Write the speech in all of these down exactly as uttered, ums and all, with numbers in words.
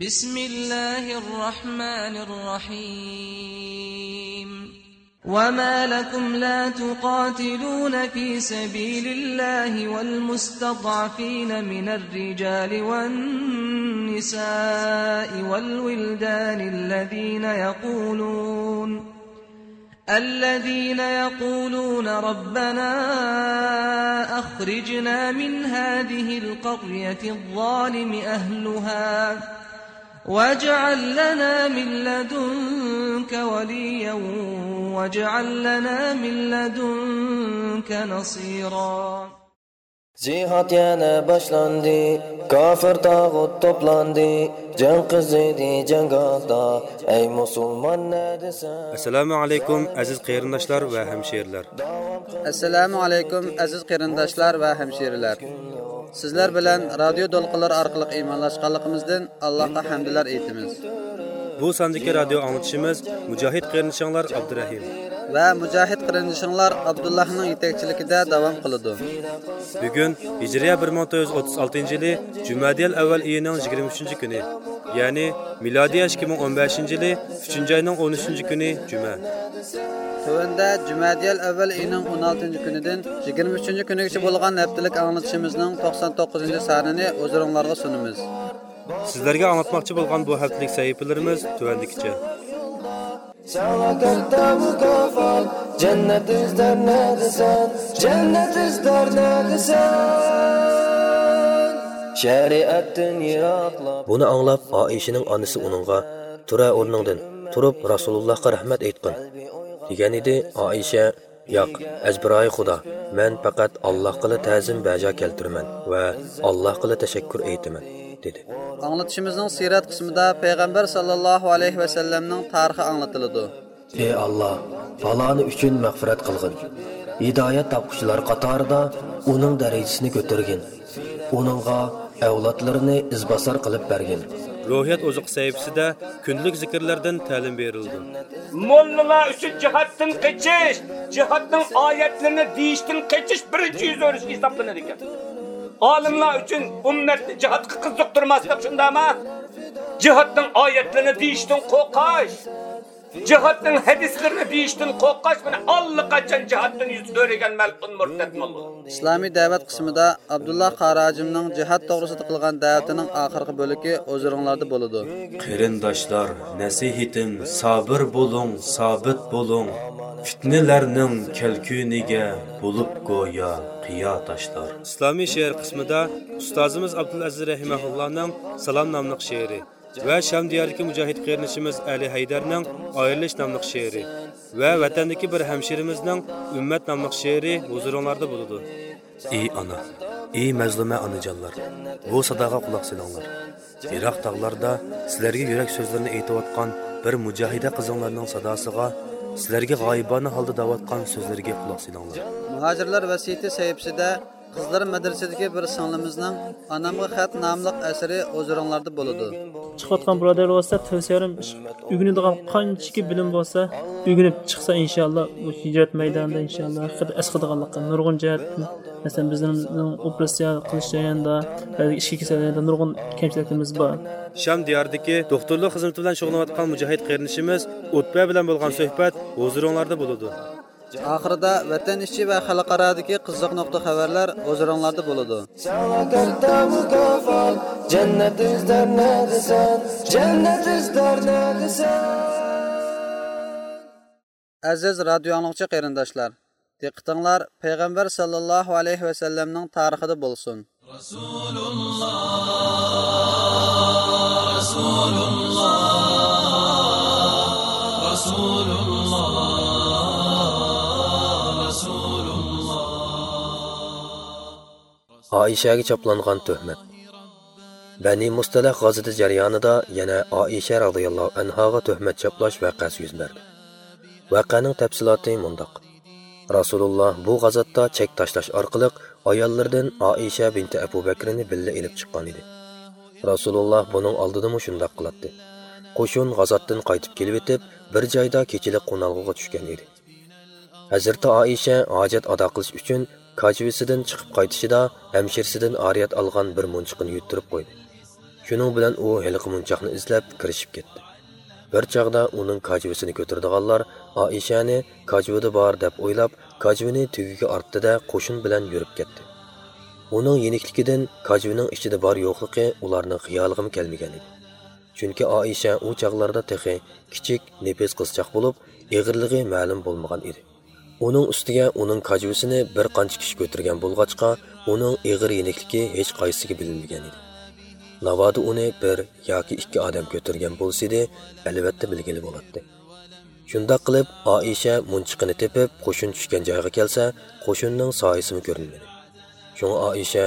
بسم الله الرحمن الرحيم. وما لكم لا تقاتلون في سبيل الله والمستضعفين من الرجال والنساء والولدان الذين يقولون الذين يقولون ربنا أخرجنا من هذه القرية الظالم أهلها واجعل لنا من لدنك وليا واجعل لنا من لدنك نصيرا. جىھاد يەنە باشلاندى، كاپىر تاغۇت توپلاندى، جەڭ قىزىدى جەڭگاھتا، ئەي مۇسۇلمان نەدىسەن؟ ئەسسالامۇ ئەلەيكۇم، ئەزىز قېرىنداشلار ۋە ھەمشىرىلەر. ئەسسالامۇ ئەلەيكۇم، ئەزىز قېرىنداشلار ۋە ھەمشىرىلەر. سىزلەر بىلەن رادىيو دولقۇنلىرى ئارقىلىق ئىمانلاشقانلىقىمىزدىن ئاللاھقا ھەمدۇلار ئېيتىمىز. بۇ ساندىكى رادىيو ئاڭلىتىشىمىز مۇجاھىد قېرىندىشىڭلار ئابدۇرەھىم ۋە مۇجاھىد قېرىندىشىڭلار ئابدۇللاھنىڭ يېتەكچىلىكىدە داۋام قىلىدۇ. بۈگۈن ھىجرىيە بىر مىڭ تۆت يۈز ئوتتۇز ئالتىنچى يىلى جۈمەدىيەل ئەۋۋەل ئېيىنىڭ يىگىرمە ئۈچىنچى كۈنى، يەنى مىلادىيە ئىككى مىڭ ئون بەشىنچى يىلى ئۈچىنچى ئاينىڭ ئون ئۈچىنچى كۈنى جۈمە. تۆۋەندە جۈمەدىيەل ئەۋۋەل ئېيىنىڭ ئون ئالتىنچى كۈنىدىن يىگىرمە ئۈچىنچى كۈنىگىچە بولغان ھەپتىلىك ئاڭلىتىشىمىزنىڭ توقسان توققۇزىنچى سانىنى ھۇزۇرۇڭلارغا سۇنىمىز. سىزلەرگە ئاڭلاتماقچى بولغان بۇ ھەپتىلىك سەھىپىلىرىمىز تۆۋەندىكىچە. ساڭا كاتتا مۇكاپات، جەننەت ئىزدەر نەدىسەن؟ جەننەت ئىزدەر نەدىسەن؟ شەرىئەتتىن يىراقلاپ. بۇنى ئاڭلاپ، ئائىشىنىڭ ئانىسى ئۇنىڭغا، «تۇرە ئورنۇڭدىن، تۇرۇپ رەسۇلۇللاھقا رەھمەت ئېيتقىن» دېگەن ئىدى. ئائىشە، «ياق، ئەزبىرايى خۇدا، مەن پەقەت ئاللاھقىلا تەزىم بەجا كەلتۈرىمەن ۋە ئاللاھقىلا تەشەككۈر ئېيتىمەن» دېدى. ئاڭلىتىشىمىزنىڭ سىرەت قىسمىدا پەيغەمبەر ساللاللاھۇ ئەلەيھى ۋەسەللەمنىڭ تارىخى ئاڭلىتىلىدۇ. ئى ئاللا، پالانى ئۈچۈن مەغپىرەت قىلغىن. ھىدايەت تاپقۇچىلار قاتارىدا ئۇنىڭ دەرىجىسىنى كۆتۈرگىن. ئۇنىڭغا ئەۋلادلىرىنى ئىزباسار قىلىپ بەرگىن. روھىيەت ئوزۇقى سەھىپىسىدە كۈندىلىك زىكىرلەردىن تەلىم بېرىلىدۇ. موللىلار ئۈچۈن جىھادتىن قېچىش، جىھادنىڭ ئايەتلىرىنى دېيىشتىن قېچىش بىرىنچى يۈز ئۆرۈش ھېسابلىنىدىكەن. ئالىملار ئۈچۈن ئۈممەتنى جىھادقا قىزىقتۇرماسلىق شۇنداقمۇ؟ جىھادنىڭ ئايەتلىرىنى دېيىشتىن قورقۇش، جىھادنىڭ ھەدىسلىرىنى دېيىشتىن قورقۇش، مانا، ئاللىقاچان جىھادتىن يۈز ئۆرۈگەن مەلئۇن مۇرتەت موللا. ئىسلامىي دەۋەت قىسمىدا ئابدۇللا قارى ھاجىمنىڭ جىھاد توغرىسىدا قىلغان دەۋىتىنىڭ ئاخىرقى بۆلىكى ھۇزۇرۇڭلاردا بولىدۇ. قېرىنداشلار، نەسىھىتىم، سابىر بولۇڭ، سابىت بولۇڭ. پىتنىلەرنىڭ كەلكۈنىگە بولۇپ گويا قىيا تاشلار. ئىسلامىي شېئىر قىسمىدا ئۇستازىمىز ئابدۇلئەزىز رەھىمەھۇللانىڭ سالام ناملىق شېئىرى ۋە شام دىيارىدىكى مۇجاھىد قېرىندىشىمىز ئەلى ھەيدەرنىڭ ئايرىلىش ناملىق شېئىرى ۋە ۋەتەندىكى بىر ھەمشىرىمىزنىڭ ئۈممەت ناملىق شېئىرى ھۇزۇرۇڭلاردا بولىدۇ. ئى ئانا، ئى مەزلۇمە ئانىجانلار، بۇ ساداغا قۇلاق سېلىڭلار. يىراق تاغلاردا سىلەرگە يۈرەك سۆزلىرىنى ئېيتىۋاتقان بىر مۇجاھىدە قىزىڭلارنىڭ ساداسىغا، سىلەرگە غايىبانە ھالدا دەۋاتقان سۆزلىرىگە قۇلاق سېلىڭلار. مۇھاجىرلار ۋەسىيىتى سەھىپىسىدە قىزلار مەدرىسىدىكى بىر سىڭلىمىزنىڭ ئانامغا خەت ناملىق ئەسىرى ھۇزۇرۇڭلاردا بولىدۇ. چىقىۋاتقان بۇرادەرلەر بولسا، تەۋسىيەلىرىم ئۆگىنىدىغان قانچىكى بىلىم بولسا، ئۆگىنىپ چىقسا، ئىنشاللا، بۇ ھىجرەت مەيدانىدا، ئىنشاللا، ھەقىقەتەن ئەسقاتىدىغانلىقى نۇرغۇن جەھەتتىن، مەسىلەن، بىزنىڭ ئوپېراتسىيە قىلىش جەريانىدا، بەزى ئىچكى كېسەللەردە نۇرغۇن كەمچىلىكلىرىمىز بار. شام دىيارىدىكى دوختۇرلۇق خىزمىتى بىلەن شۇغۇللىنىۋاتقان مۇجاھىد قېرىندىشىمىز ئۇتبە بىلەن بولغان سۆھبەت ھۇزۇرۇڭلاردا بولىدۇ. ئاخىرىدا ۋەتەن ئىچى ۋە خەلقئارادىكى قىزىق نۇقتا خەۋەرلەر ھۇزۇرۇڭلاردا بولىدۇ. ساڭا كاتتا مۇكاپات، جەننەت ئىزدەر نەدىسەن؟ جەننەت ئىزدەر نەدىسەن؟ ئەزىز رادىيو ئاڭلىغۇچى قېرىنداشلار، دىققىتىڭلار پەيغەمبەر ساللاللاھۇ ئەلەيھى ۋەسەللەمنىڭ تارىخىدا بولسۇن. رسول الله، رسول الله، رسول الله، رسول الله. ئائىشەگە چاپلانغان تۆھمەت. بەنى مۇستەلىق غازىتى جەريانىدا يەنە ئائىشە رازىياللاھۇ ئەنھاغا تۆھمەت چاپلاش ۋەقەسى يۈز بەردى. ۋەقەنىڭ تەپسىلاتى مۇنداق. رەسۇلۇللا بۇ غازاتتا چەك تاشلاش ئارقىلىق ئاياللىرىدىن ئائىشە بىنتى ئەبۇ بەكرىنى بىللە ئېلىپ چىققان ئىدى. رەسۇلۇللا بۇنىڭ ئالدىدىمۇ شۇنداق قىلاتتى. قوشۇن غازاتتىن قايتىپ كېلىۋېتىپ، بىر جايدا كېچىلىك قونالغۇغا چۈشكەن ئىدى. ھەزرىتى ئائىشە ھاجەت ئادا قىلىش ئۈچۈن كاجىۋىسىدىن چىقىپ قايتىشىدا ھەمشىرىسىدىن ئارىيەت ئالغان بىر مۇنچىقىنى يۇتتۇرۇپ قويدى. شۇنىڭ بىلەن ئۇ ھېلىقى مونچاقنى ئىزدەپ كىرىشىپ كەتتى. بىر چاغدا ئۇنىڭ كاجىۋىسىنى كۆتۈرىدىغانلار ئائىشەنى كاجىۋىدا بار دەپ ئويلاپ، كاجىۋىنى تۈگىگە ئارتتى-دە، قوشۇن بىلەن يۈرۈپ كەتتى. ئۇنىڭ يېنىكلىكىدىن كاجىۋىنىڭ ئىچىدە بار-يوقلۇقى ئۇلارنىڭ خىيالىغىمۇ كەلمىگەن ئىدى. چۈنكى ئائىشە ئۇ چاغلاردا تېخى كىچىك، نېپىز قىزچاق بولۇپ، ئېغىرلىقى مەلۇم بولمىغان ئىدى. ئۇنىڭ ئۈستىگە ئۇنىڭ كاجىۋىسىنى بىر قانچە كىشى كۆتۈرگەن بولغاچقا، ئۇنىڭ ئېغىر يېنىكلىكى ھېچقايسىسىگە بىلىنمىگەن ئىدى. ناۋادا ئۇنى بىر ياكى ئىككى ئادەم كۆتۈرگەن بولسىدى، ئەلۋەتتە بىلگىلى بولاتتى. شۇنداق قىلىپ، ئائىشە مۇنچىقىنى تېپىپ، قوشۇن چۈشكەن جايغا كەلسە، قوشۇننىڭ سايىسىمۇ كۆرۈنمىدى. شۇڭا ئائىشە،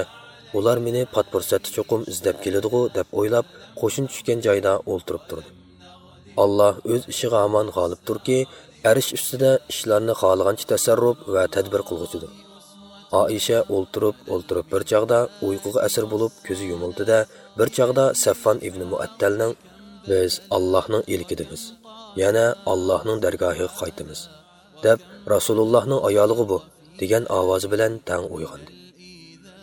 «ئۇلار مېنى پات پۇرسەتتە چوقۇم ئىزدەپ كېلىدىغۇ» دەپ ئويلاپ، قوشۇن چۈشكەن جايدا ئولتۇرۇپ تۇردى. ئاللا ئۆز ئىشىغا ھامان غالىبتۇركى، ئەرش ئۈستىدە ئىشلارنى خالىغانچە تەسەررۇپ ۋە تەدبىر قىلغۇچىدۇر. ئائىشە ئولتۇرۇپ، ئولتۇرۇپ بىر چاغدا ئۇيقۇغا ئەسىر بولۇپ كۆزى يۇمۇلدى-دە، بىر چاغدا سەفۋان ئىبنى مۇئەتتەلنىڭ، «بىز ئاللاھنىڭ ئىلكىدىمىز، يەنە ئاللاھنىڭ دەرگاھىغا قايتىمىز» دەپ، «رەسۇلۇللاھنىڭ ئايالىغۇ بۇ» دېگەن ئاۋازى بىلەن تەڭ ئويغاندى.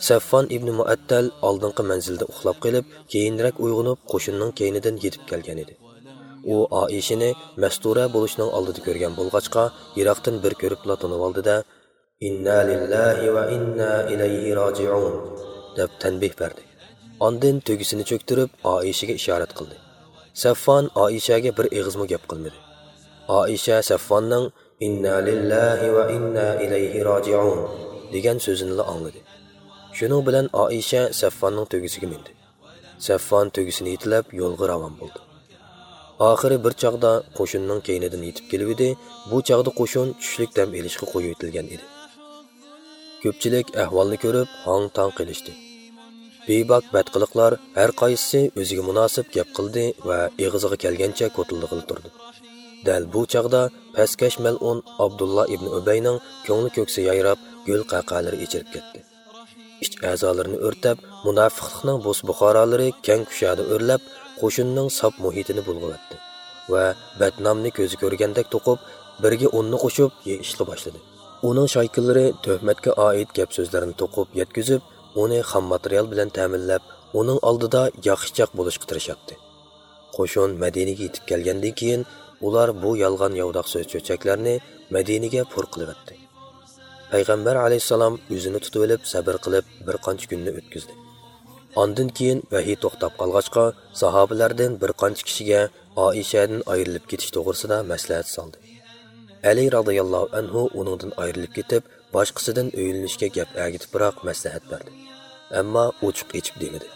سەفۋان ئىبنى مۇئەتتەل ئالدىنقى مەنزىلدە ئۇخلاپ قېلىپ، كېيىنرەك ئويغىنىپ، قوشۇننىڭ كەينىدىن يېتىپ كەلگەنىدى. ئۇ ئائىشىنى مەستۇرە بولۇشنىڭ ئالدىدا كۆرگەن بولغاچقا، يىراقتىن بىر كۆرۈپلا تونۇۋالدى-دە، «ئىننا لىللاھى ۋە ئىننا ئىلەيھى راجىئۇن» دەپ تەنبىھ بەردى. ئاندىن تۆگىسىنى چۆكتۈرۈپ، ئائىشىگە ئىشارەت قىلدى. سەفۋان ئائىشەگە بىر ئېغىزمۇ گەپ قىلمىدى. ئائىشە سەفۋاننىڭ «ئىننا لىللاھى ۋە ئىننا ئىلەيھى راجىئۇن» دېگەن سۆزىنىلا ئاڭلىدى. شۇنىڭ بىلەن ئائىشە سەفۋاننىڭ تۆگىسىگە مىندى. سەفۋان تۆگىسىنى يېتىلەپ يولغا راۋان بولدى. ئاخىرى بىر چاغدا قوشۇننىڭ كەينىدىن يېتىپ كېلىۋىدى، بۇ چاغدا قوشۇن چۈشلۈك دەم ئېلىشقا قويۇۋېتىلگەن ئىدى. كۆپچىلىك ئەھۋالنى كۆرۈپ ھاڭ-تاڭ قېلىشتى. بىباك بەتقىلىقلار ھەر قايسىسى ئۆزىگە مۇناسىپ گەپ قىلدى ۋە ئېغىزىغا كەلگەنچە كوتۇلدىغىلى تۇردى. دەل بۇ چاغدا پەسكەش مەلئۇن ئابدۇللا ئىبنى ئۈبەينىڭ كۆڭلى كۆكسى يايراپ، گۈل قەقەلىرى ئېچىلىپ كەتتى. ئىچ ئەزالىرىنى ئۆرتەپ، مۇناپىقلىقنىڭ بوس بۇخارالىرى كەڭ كۇشادە ئۆرلەپ، قوشۇننىڭ ساپ مۇھىتىنى بۇلغىۋەتتى ۋە بەتنامنى كۆزى كۆرگەندەك توقۇپ، بىرگە ئوننى قوشۇپ يېيىشقا باشلىدى. ئۇنىڭ شايكىلىرى تۆھمەتكە ئائىت گەپ-سۆزلەرنى توقۇپ يەتكۈزۈپ، ئۇنى خام ماتېرىيال بىلەن تەمىنلەپ، ئۇنىڭ ئالدىدا ياخشىچاق بولۇشقا تىرىشاتتى. قوشۇن مەدىنىگە يېتىپ كەلگەندىن كېيىن، ئۇلار بۇ يالغان ياۋىداق سۆز-چۆچەكلەرنى مەدىنىگە پۇر قىلىۋەتتى. پەيغەمبەر ئەلەيھىسسالام ئۆزىنى تۇتۇۋېلىپ، سەبىر قىلىپ، بىر قانچە كۈننى ئۆتكۈزدى. ئاندىن كېيىن ۋەھىي توختاپ قالغاچقا، ساھابىلەردىن بىر قانچە كىشىگە ئائىشەدىن ئايرىلىپ كېتىش توغرىسىدا مەسلىھەت سالدى. ئەلى رازىياللاھۇ ئەنھۇ ئۇنىڭدىن ئايرىلىپ كېتىپ، باشقىسىدىن ئۆيلىنىشكە گەپ ئەگىتىپراق مەسلىھەت بەردى. ئەمما ئوچۇق ئېچىپ دېمىدى.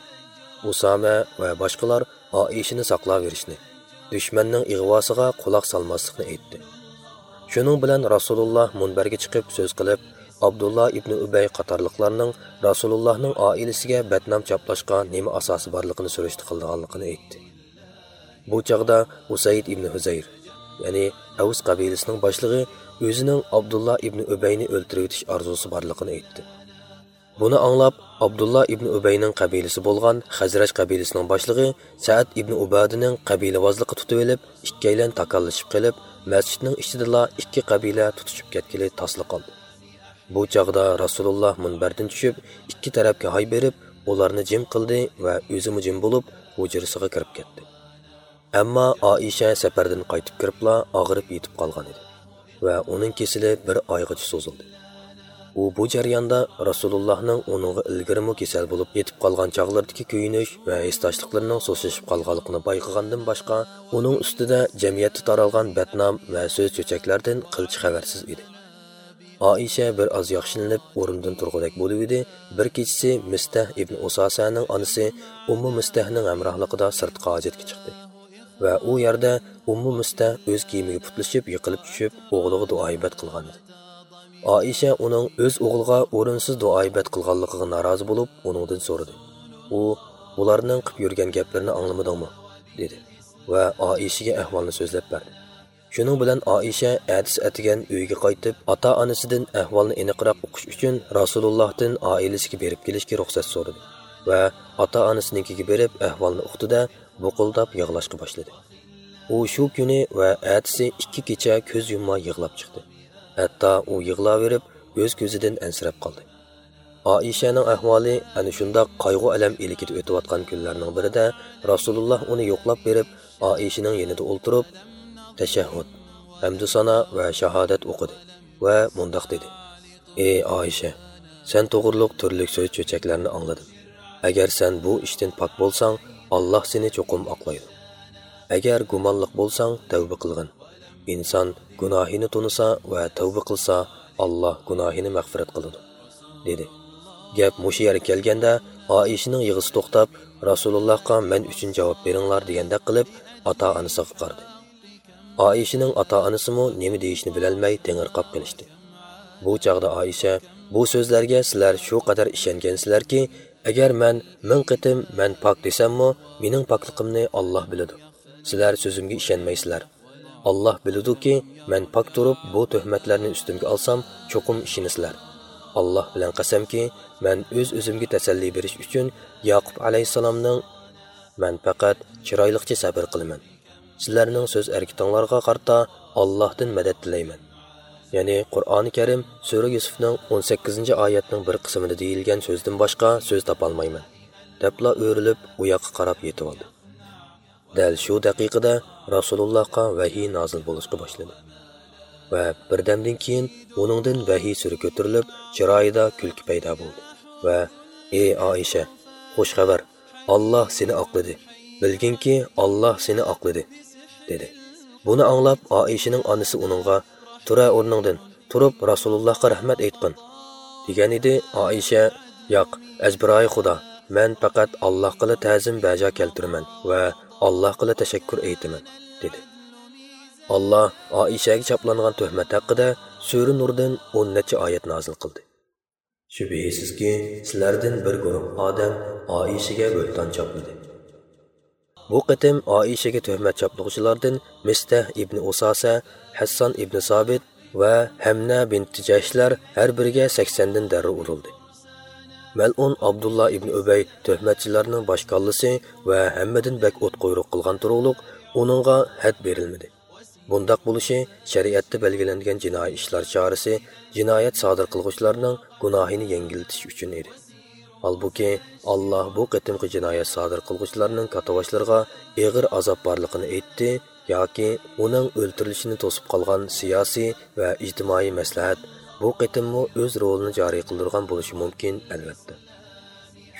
ئۇسامە ۋە باشقىلار ئائىشىنى ساقلاۋېرىشنى، دۈشمەننىڭ ئىغۋاسىغا قۇلاق سالماسلىقنى ئېيتتى. شۇنىڭ بىلەن رەسۇلۇللا مۇنبەرگە چىقىپ سۆز قىلىپ، ئابدۇللا ئىبنى ئۈبەي قاتارلىقلارنىڭ رەسۇلۇللانىڭ ئائىلىسىگە بەتنام چاپلاشقا نېمە ئاساسى بارلىقىنى سۈرۈشتە قىلىدىغانلىقىنى ئېيتتى. بۇ چاغدا ئۇسەيد ئىبنى ھۇزەير، يەنى ئەۋس قەبىلىسىنىڭ باشلىقى، ئۆزىنىڭ ئابدۇللا ئىبنى ئۈبەينى ئۆلتۈرۈۋېتىش ئارزۇسى بارلىقىنى ئېيتتى. بۇنى ئاڭلاپ، ئابدۇللا ئىبنى ئۈبەينىڭ قەبىلىسى بولغان خەزرەج قەبىلىسىنىڭ باشلىقى سەئەد ئىبنى ئۇبادىنىڭ قەبىلىۋازلىقى تۇتۇۋېلىپ، ئىككىيلەن تاكاللىشىپ قېلىپ، مەسچىتنىڭ ئىچىدىلا ئىككى قەبىلە تۇتۇشۇپ كەتكىلى تاسلا قالدى. بۇ چاغدا رەسۇلۇللا مۇنبەردىن چۈشۈپ، ئىككى تەرەپكە ھاي بېرىپ، ئۇلارنى جىم قىلدى ۋە ئۆزىمۇ جىم بولۇپ، ھۇجرىسىغا كىرىپ كەتتى. ئەمما ئائىشە سەپەردىن قايتىپ كىرىپلا ئاغرىپ يېتىپ قالغان ئىدى ۋە ئۇنىڭ كېسىلى بىر ئايغىچە سوزۇلدى. ئۇ بۇ جەرياندا رەسۇلۇللانىڭ ئۇنىڭغا ئىلگىرىمۇ كېسەل بولۇپ يېتىپ قالغان چاغلىرىدىكى كۆيۈنۈش ۋە ھېسداشلىقلىرىنىڭ سۇسلىشىپ قالغانلىقىنى بايقىغاندىن باشقا، ئۇنىڭ ئۈستىدە جەمئىيەتتە تارالغان بەتنام ۋە سۆز-چۆچەكلەردىن قىلچە خەۋەرسىز ئىدى. ئائىشە بىر ئاز ياخشىلىنىپ، ئورنىدىن تۇرغۇدەك بولۇۋىدى، بىر كېچىسى مىستەھ ئىبن ئۇساسەنىڭ ئانىسى ئۇممۇ مىستەھنىڭ ھەمراھلىقىدا سىرتقا ھاجەتكە چىقتى ۋە ئۇ يەردە ئۇممۇ مىستەھ ئۆز كىيىمىگە پۇتلىشىپ، يىقىلىپ چۈشۈپ، ئوغلىغا دۇئا-ئىبەت قىلغانىدى. ئائىشە ئۇنىڭ ئۆز ئوغلىغا ئورۇنسىز دۇئا-ئىبەت قىلغانلىقىغا نارازى بولۇپ، ئۇنىڭدىن سورىدى. ئۇ، «بۇلارنىڭ قىپ يۈرگەن گەپلىرىنى ئاڭلىمىدىڭمۇ؟» دېدى ۋە ئائىشىگە ئەھۋالنى سۆزلەپ بەردى. شۇنىڭ بىلەن ئائىشە ئەتىسى ئەتىگەن ئۆيىگە قايتىپ، ئاتا-ئانىسىدىن ئەھۋالنى ئېنىقراق ئۇقۇش ئۈچۈن رەسۇلۇللاھتىن ئائىلىسىگە بېرىپ كېلىشكە رۇخسەت سورىدى ۋە ئاتا-ئانىسىنىڭكىگە بېرىپ ئەھۋالنى ئۇقتى-دە، بۇقۇلداپ يىغلاشقا باشلىدى. ئۇ شۇ كۈنى ۋە ئەتىسى ئىككى كېچە كۆز يۇمماي يىغلاپ چىقتى. ھەتتا ئۇ يىغلاۋېرىپ، ئۆز كۆزىدىن ئەنسىرەپ قالدى. ئائىشەنىڭ ئەھۋالى ئەنە شۇنداق قايغۇ-ئەلەم ئىلكىدە ئۆتۈۋاتقان كۈنلەرنىڭ بىرىدە رەسۇلۇللا ئۇنى يوقلاپ بېرىپ، ئائىشىنىڭ يېنىدا ئولتۇرۇپ، تەشەھھۇد، ھەمدۇسانا ۋە شاھادەت ئوقۇدى ۋە مۇنداق دېدى: «ئى ئائىشە، سەن توغرۇلۇق تۈرلۈك سۆز-چۆچەكلەرنى ئاڭلىدىم. ئەگەر سەن بۇ ئىشتىن پاك بولساڭ، ئاللاھ سېنى چوقۇم ئاقلايدۇ. ئەگەر گۇمانلىق بولساڭ، تەۋبە قىلغىن. ئىنسان گۇناھىنى تونۇسا ۋە تەۋبە قىلسا، ئاللاھ گۇناھىنى مەغپىرەت قىلىدۇ» دېدى. گەپ مۇشۇ يەرگە كەلگەندە، ئائىشىنىڭ يىغىسى توختاپ، رەسۇلۇللاھقا «مەن ئۈچۈن جاۋاب بېرىڭلار» دېگەندەك قىلىپ، ئاتا-ئانىسىغا قارىدى. ئائىشىنىڭ ئاتا-ئانىسىمۇ نېمە دېيىشنى بىلەلمەي تېڭىرقاپ قېلىشتى. بۇ چاغدا ئائىشە: «بۇ سۆزلەرگە سىلەر شۇ قەدەر ئىشەنگەنسىلەركى، ئەگەر مەن مىڭ قېتىم مەن پاك دېسەممۇ، مېنىڭ پاكلىقىمنى ئاللاھ بىلىدۇ. سىلەر سۆزۈمگە ئىشەنمەيسىلەر. ئاللاھ بىلىدۇكى، مەن پاك تۇرۇپ بۇ تۆھمەتلەرنى ئۈستۈمگە ئالسام، چوقۇم ئىشىنىسىلەر. ئاللاھ بىلەن قەسەمكى، مەن ئۆز-ئۆزۈمگە تەسەللى بېرىش ئۈچۈن ياقۇپ ئەلەيھىسسالامنىڭ، مەن پەقەت چىرايلىقچە سەبىر قىلىمەن. سىلەرنىڭ سۆز ھەرىكىتىڭلارغا قارىتا ئاللاھتىن مەدەت تىلەيمەن. يەنى قۇرئانى كەرىم سۈرە يۈسۈفنىڭ ئون سەككىزىنچى ئايەتنىڭ بىر قىسمىدا دېيىلگەن سۆزدىن باشقا سۆز تاپالمايمەن» دەپلا ئۆرۈلۈپ، ئۇ ياققا قاراپ يېتىۋالدى. دەل شۇ دەقىقىدە رەسۇلۇللاھقا ۋەھىي نازىل بولۇشقا باشلىدى. ۋە بىردەمدىن كېيىن ئۇنىڭدىن ۋەھىي سۈرى كۆتۈرۈلۈپ، چىرايىدا كۈلكە پەيدا بولدى. ۋە: «ئى ئائىشە، خۇش خەۋەر! ئاللاھ سېنى ئاقلىدى. بىلگىنكى، ئاللاھ سېنى ئاقلىدى» دېدى. بۇنى ئاڭلاپ، ئائىشىنىڭ ئانىسى ئۇنىڭغا: «تۇرە ئورنۇڭدىن، تۇرۇپ رەسۇلۇللاھقا رەھمەت ئېيتقىن» دېگەن ئىدى. ئائىشە: «ياق، ئەزبىرايى خۇدا، مەن پەقەت ئاللاھقىلا تەزىم بەجا كەلتۈرىمەن ۋە ئاللاھقىلا تەشەككۈر ئېيتىمەن» دېدى. ئاللاھ ئائىشەگە چاپلانغان تۆھمەت ھەققىدە سۈرە نۇردىن ئون نەچچە ئايەت نازىل قىلدى. شۈبھىسىزكى، سىلەردىن بىر گۇرۇھ ئادەم ئائىشىگە بۆھتان چاپلىدى. بۇ قېتىم ئائىشىگە تۆھمەت چاپلىغۇچىلاردىن مىستەھ ئىبنى ئۇساسە، ھەسسان ئىبنى سابىت ۋە ھەمنە بىنتى جەھشلەر ھەر بىرىگە سەكسەندىن دەررە ئۇرۇلدى. مەلئۇن ئابدۇللا ئىبنى ئۈبەي تۆھمەتچىلەرنىڭ باش كاللىسى ۋە ھەممىدىن بەك ئوتقۇيرۇق قىلغان تۇرۇقلۇق ئۇنىڭغا ھەد بېرىلمىدى. بۇنداق بولۇشى شەرىئەتتە بەلگىلەنگەن جىنايى ئىشلار چارىسى جىنايەت سادىر قىلغۇچىلارنىڭ گۇناھىنى يەڭگىللىتىش ئۈچۈن ئىدى. ھالبۇكى، ئاللاھ بۇ قېتىمقى جىنايەت سادىر قىلغۇچىلارنىڭ كاتتىباشلىرىغا ئېغىر ئازاب بارلىقىنى ئېيتتى ياكى ئۇنىڭ ئۆلتۈرۈلۈشىنى توسۇپ قالغان سىياسىي ۋە ئىجتىمائىي مەسلىھەت بۇ قېتىممۇ ئۆز رولىنى جارى قىلدۇرغان بولۇشى مۇمكىن، ئەلۋەتتە.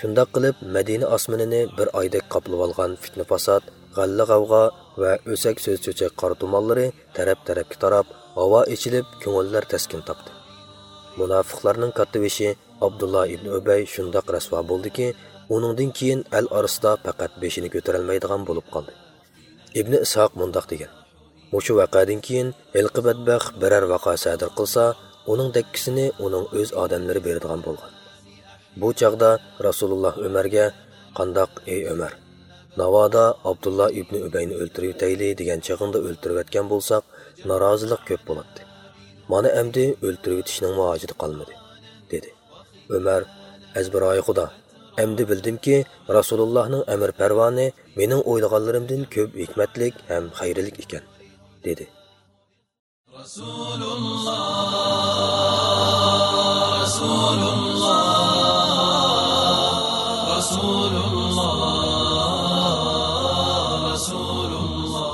شۇنداق قىلىپ، مەدىنە ئاسمىنىنى بىر ئايدەك قاپلىۋالغان پىتنە-پاسات، غەللە-غەۋغا ۋە ئۆسەك سۆز-چۆچەك قارا تۇمانلىرى تەرەپ-تەرەپكە تاراپ، ھاۋا ئېچىلىپ، كۆڭۈللەر تەسكىن تاپتى. مۇناپىقلارنىڭ كاتتىبېشى ئابدۇللا ئىبنى ئۈبەي شۇنداق رەسۋا بولدىكى، ئۇنىڭدىن كېيىن ئەل ئارىسىدا پەقەت بېشىنى كۆتۈرەلمەيدىغان بولۇپ قالدى. ئىبنى ئىسھاق مۇنداق دېگەن: «مۇشۇ ۋەقەدىن كېيىن ھېلىقى بەتبەخت بىرەر ۋەقە سادىر قىلسا، ئۇنىڭ دەككىسىنى ئۇنىڭ ئۆز ئادەملىرى بېرىدىغان بولغان.» بۇ چاغدا رەسۇلۇللا ئۆمەرگە: «قانداق، ئەي ئۆمەر؟ ناۋادا ئابدۇللا ئىبنى ئۈبەينى ئۆلتۈرۈۋېتەيلى دېگەن چېغىڭدا ئۆلتۈرۈۋەتكەن بولساق، نارازىلىق كۆپ بولاتتى. مانا ئەمدى ئۆلتۈرۈۋېتىشنىڭمۇ ھاجىتى قالمىدى» دېدى. ئۆمەر: «ئەزبىرايى خۇدا، ئەمدى بىلدىمكى، رەسۇلۇللانىڭ ئەمىر پەرمانى مېنىڭ ئويلىغانلىرىمدىن كۆپ ھېكمەتلىك ھەم خەيرلىك ئىكەن» دېدى. رەسۇلۇللا، رەسۇلۇللا، رەسۇلۇللا، رەسۇلۇللا.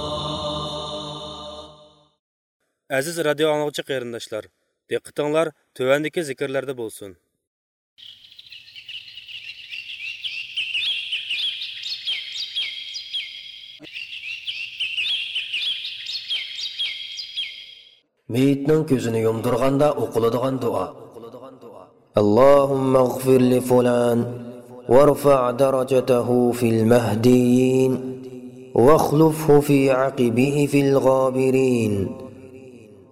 ئەزىز رادىيو ئاڭلىغۇچى قېرىنداشلار، دىققىتىڭلار تۆۋەندىكى زىكىرلەردە بولسۇن. مېيىتنىڭ كۆزىنى يۇمدۇرغاندا ئوقۇلىدىغان دۇئا. اللهم اغفر لفلان وارفع درجته في المهديين واخلفه في عقبه في الغابرين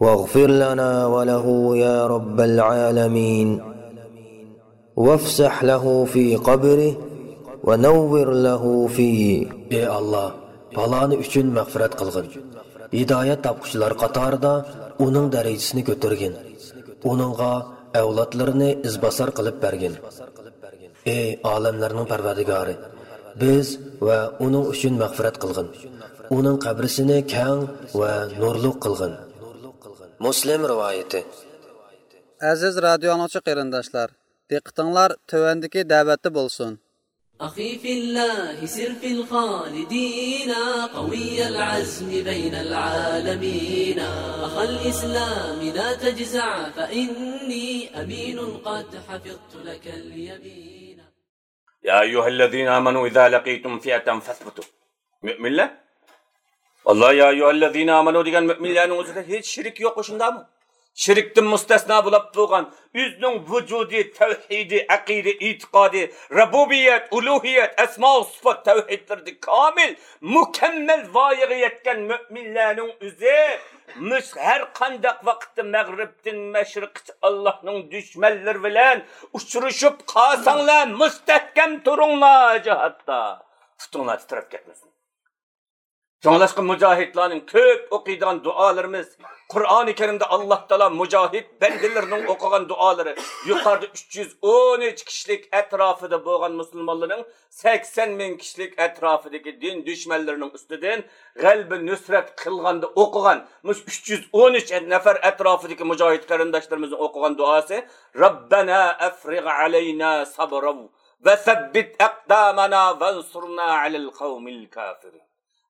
واغفر لنا وله يا رب العالمين. وافسح له في قبره ونور له فيه. ئى ئاللا، پالانى ئۈچۈن مەغپىرەت قىلغىن. ھىدايەت تاپقۇچىلار قاتارىدا ئۇنىڭ دەرىجىسىنى كۆتۈرگىن. ئۇنىڭغا ئەۋلادلىرىنى ئىزباسار قىلىپ بەرگىن. ئى ئالەملەرنىڭ پەرۋەردىگارى، بىز ۋە ئۇنىڭ ئۈچۈن مەغپىرەت قىلغىن. ئۇنىڭ قەبرىسىنى كەڭ ۋە نۇرلۇق قىلغىن. مۇسلىم رىۋايىتى. ئەزىز رادىيو ئاڭلىغۇچى قېرىنداشلار، دىققىتىڭلار تۆۋەندىكى دەۋەتتە بولسۇن. أخي في الله سر في الخالدين، قوي العزم بين العالمين. أخا الإسلام لا تجزع، فإني أمين قد حفظت لك اليمين. يا أيها الذين آمنوا إذا لقيتم فئة فاثبتوا. مۆمىنلەر، ئاللا يا ئەييۇھەللەزىنە ئامەنۇ دېگەن مۆمىنلەرنىڭ ئۆزىدە ھېچ شىرك يوق، شۇنداقمۇ؟ شىركتىن مۇستەسنا بولۇپ تۇرغان، ئۆزىنىڭ ۋۇجۇدى، تەۋھىدى، ئەقىدە، ئېتىقادى، رۇبۇبىيەت، ئۇلۇھىيەت، ئەسمائۇ سىفات تەۋھىدلىرىدە كامىل، مۇكەممەل ۋايىغا يەتكەن مۆمىنلەرنىڭ ئۆزى مۇش-، ھەر قانداق ۋاقىتتا مەغرىبتىن مەشرىققىچە ئاللانىڭ دۈشمەنلىرى بىلەن ئۇچرىشىپ قالساڭلار، مۇستەھكەم تۇرۇڭلار جىھادتا. پۇتۇڭلار تىترەپ كەتمىسۇن. شۇڭلاشقا مۇجاھىدلارنىڭ كۆپ ئوقۇيدىغان دۇئالىرىمىز، قۇرئانى كەرىمدە ئاللا تائالا مۇجاھىد بەندىلىرىنىڭ ئوقۇغان دۇئالىرى يۇقىرىدا ئۈچ يۈز ئون ئۈچ كىشىلىك ئەتراپىدا بولغان مۇسۇلمانلارنىڭ سەكسەن مىڭ كىشىلىك ئەتراپىدىكى دىن دۈشمەنلىرىنىڭ ئۈستىدىن غەلىبە نۇسرەت قىلغاندا ئوقۇغان مۇشۇ ئۈچ يۈز ئون ئۈچ نەپەر ئەتراپىدىكى مۇجاھىد قېرىنداشلىرىمىزنىڭ ئوقۇغان دۇئاسى، رەببەنا ئەفرىغ ئەلەينا سەبرەن ۋە سەببىت ئەقدامەنا ۋەنسۇرنا ئەلەل قەۋمىل كافىرىن.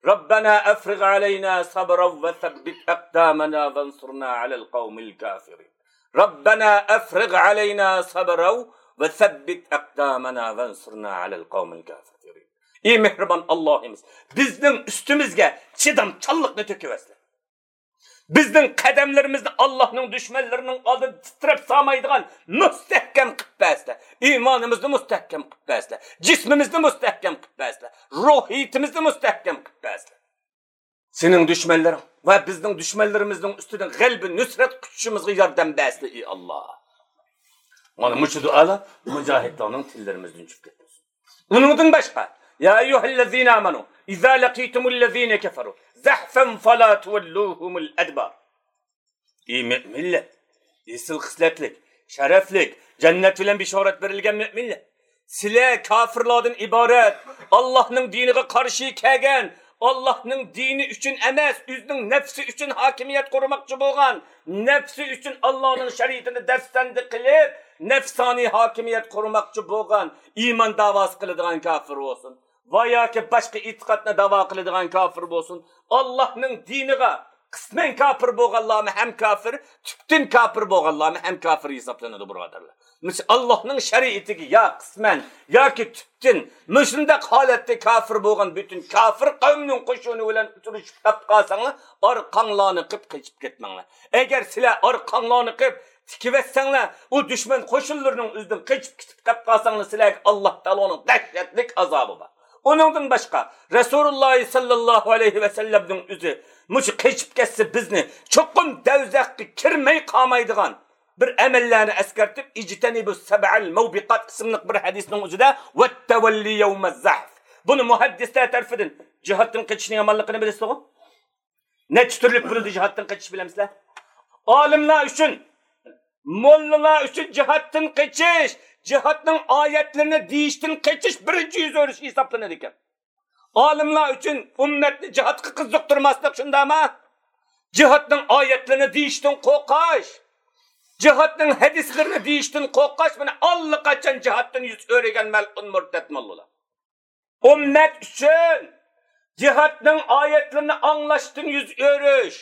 رەببەنا ئەفرىغ ئەلەينا سەبرەن ۋە سەببىت ئەقدامەنا ۋەنسۇرنا ئەلەل قەۋمىل كافىرىن. رەببەنا ئەفرىغ ئەلەينا سەبرەن ۋە سەببىت ئەقدامەنا ۋەنسۇرنا ئەلەل قەۋمىل كافىرىن. ئى مېھرىبان ئاللاھىمىز، بىزنىڭ ئۈستىمىزگە چىدامچانلىقنى تۆكۈۋەرسىلە. بىزنىڭ قەدەملىرىمىزنى ئاللاھنىڭ دۈشمەنلىرىنىڭ ئالدىدا تىترەپ سالمايدىغان مۇستەھكەم قىلىپ بەرسىلە. ئىمانىمىزنى مۇستەھكەم قىلىپ بەرسىلە. جىسمىمىزنى مۇستەھكەم قىلىپ بەرسىلە. روھىيىتىمىزنى مۇستەھكەم قىلىپ بەرسىلە. سېنىڭ دۈشمەنلىرىڭ ۋە بىزنىڭ دۈشمەنلىرىمىزنىڭ ئۈستىدىن غەلىبە نۇسرەت قۇچۇشىمىزغا ياردەم بەرسىلە، ئى ئاللا. مانا مۇشۇ دۇئالار مۇجاھىدلارنىڭ تىللىرىمىزدىن چۈشۈپ كەتمىسۇن. ئۇنىڭدىن باشقا، يا ئەييۇھەللەزىنە ئامەنۇ ئىزا لەقىتۇمۇللەزىنە كەفەرۇ زەھفەن فەلا تۇۋەللۇھۇمۇل ئەدبار. ئى مۆمىنلەر، ئېسىل خىسلەتلىك، شەرەپلىك، جەننەت بىلەن بېشارەت بېرىلگەن مۆمىنلەر، سىلەر كاپىرلاردىن ئىبارەت، ئاللاھنىڭ دىنىغا قارشى كەلگەن، ئاللاھنىڭ دىنى ئۈچۈن ئەمەس، ئۆزىنىڭ نەپسى ئۈچۈن ھاكىمىيەت قۇرماقچى بولغان، نەپسى ئۈچۈن ئاللاھنىڭ شەرىئىتىنى دەپسەندە قىلىپ، نەپسانىي ھاكىمىيەت قۇرماقچى بولغان، ئىمان داۋاسى قىلىدىغان كاپىر بولسۇن ۋە ياكى باشقا ئېتىقادنى داۋا قىلىدىغان كاپىر بولسۇن، ئاللاھنىڭ دىنىغا قىسمەن كاپىر بولغانلارمۇ ھەم كاپىر، تۈپتىن كاپىر بولغانلارمۇ ھەم كاپىر ھېسابلىنىدۇ، بۇرادەرلەر. مىسال، ئاللاھنىڭ شەرىئىتىگە يا قىسمەن ياكى تۈپتىن مۇشۇنداق ھالەتتە كاپىر بولغان پۈتۈن كاپىر قەۋمنىڭ قوشۇنى بىلەن ئۇچرىشىپ قېلىپ قالساڭلار، ئارقاڭلارنى قىپ قېچىپ كەتمەڭلار. ئەگەر سىلەر ئارقاڭلارنى قىپ تىكىۋەتسەڭلار، ئۇ دۈشمەن قوشۇنلىرىنىڭ ئۆزىدىن قېچىپ كېتىپ قېلىپ قالساڭلار، سىلەرگە ئاللاھ تائالانىڭ دەھشەتلىك ئازابى بار. ئۇنىڭدىن باشقا، رەسۇلۇللاھ سەللەللاھۇ ئەلەيھى ۋەسەللەمنىڭ ئۆزى مۇشۇ قېچىپ كەتسە، بىزنى چوقۇم دەۋزەخكە كىرمەي قالمايدىغان بىر ئەمەللەرنى ئەسكەرتىپ، ئىجتەنىبۇ سەبئەل مۇۋبىقات ئىسىملىق بىر ھەدىسنىڭ ئۆزىدە، ۋەتتەۋەللى يەۋمەز زەھف. بۇنى مۇھەددىسلەر تەرىپىدىن جىھادتىن قېچىشنىڭ يامانلىقىنى بىلىسىزغۇ؟ نەچچە تۈرلۈك بولىدۇ جىھادتىن قېچىش، بىلەمسىلەر؟ ئالىملار ئۈچۈن، موللىلار ئۈچۈن جىھادتىن قېچىش، جىھادنىڭ ئايەتلىرىنى دېيىشتىن قېچىش بىرىنچى يۈز ئۆرۈش ھېسابلىنىدىكەن. ئالىملار ئۈچۈن ئۈممەتنى جىھادقا قىزىقتۇرماسلىق شۇنداقمۇ؟ جىھادنىڭ ئايەتلىرىنى دېيىشتىن قورقۇش، جىھادنىڭ ھەدىسلىرىنى دېيىشتىن قورقۇش، مانا ئاللىقاچان جىھادتىن يۈز ئۆرۈگەن مەلئۇن مۇرتەت موللىلار. ئۈممەت ئۈچۈن جىھادنىڭ ئايەتلىرىنى ئاڭلاشتىن يۈز ئۆرۈش،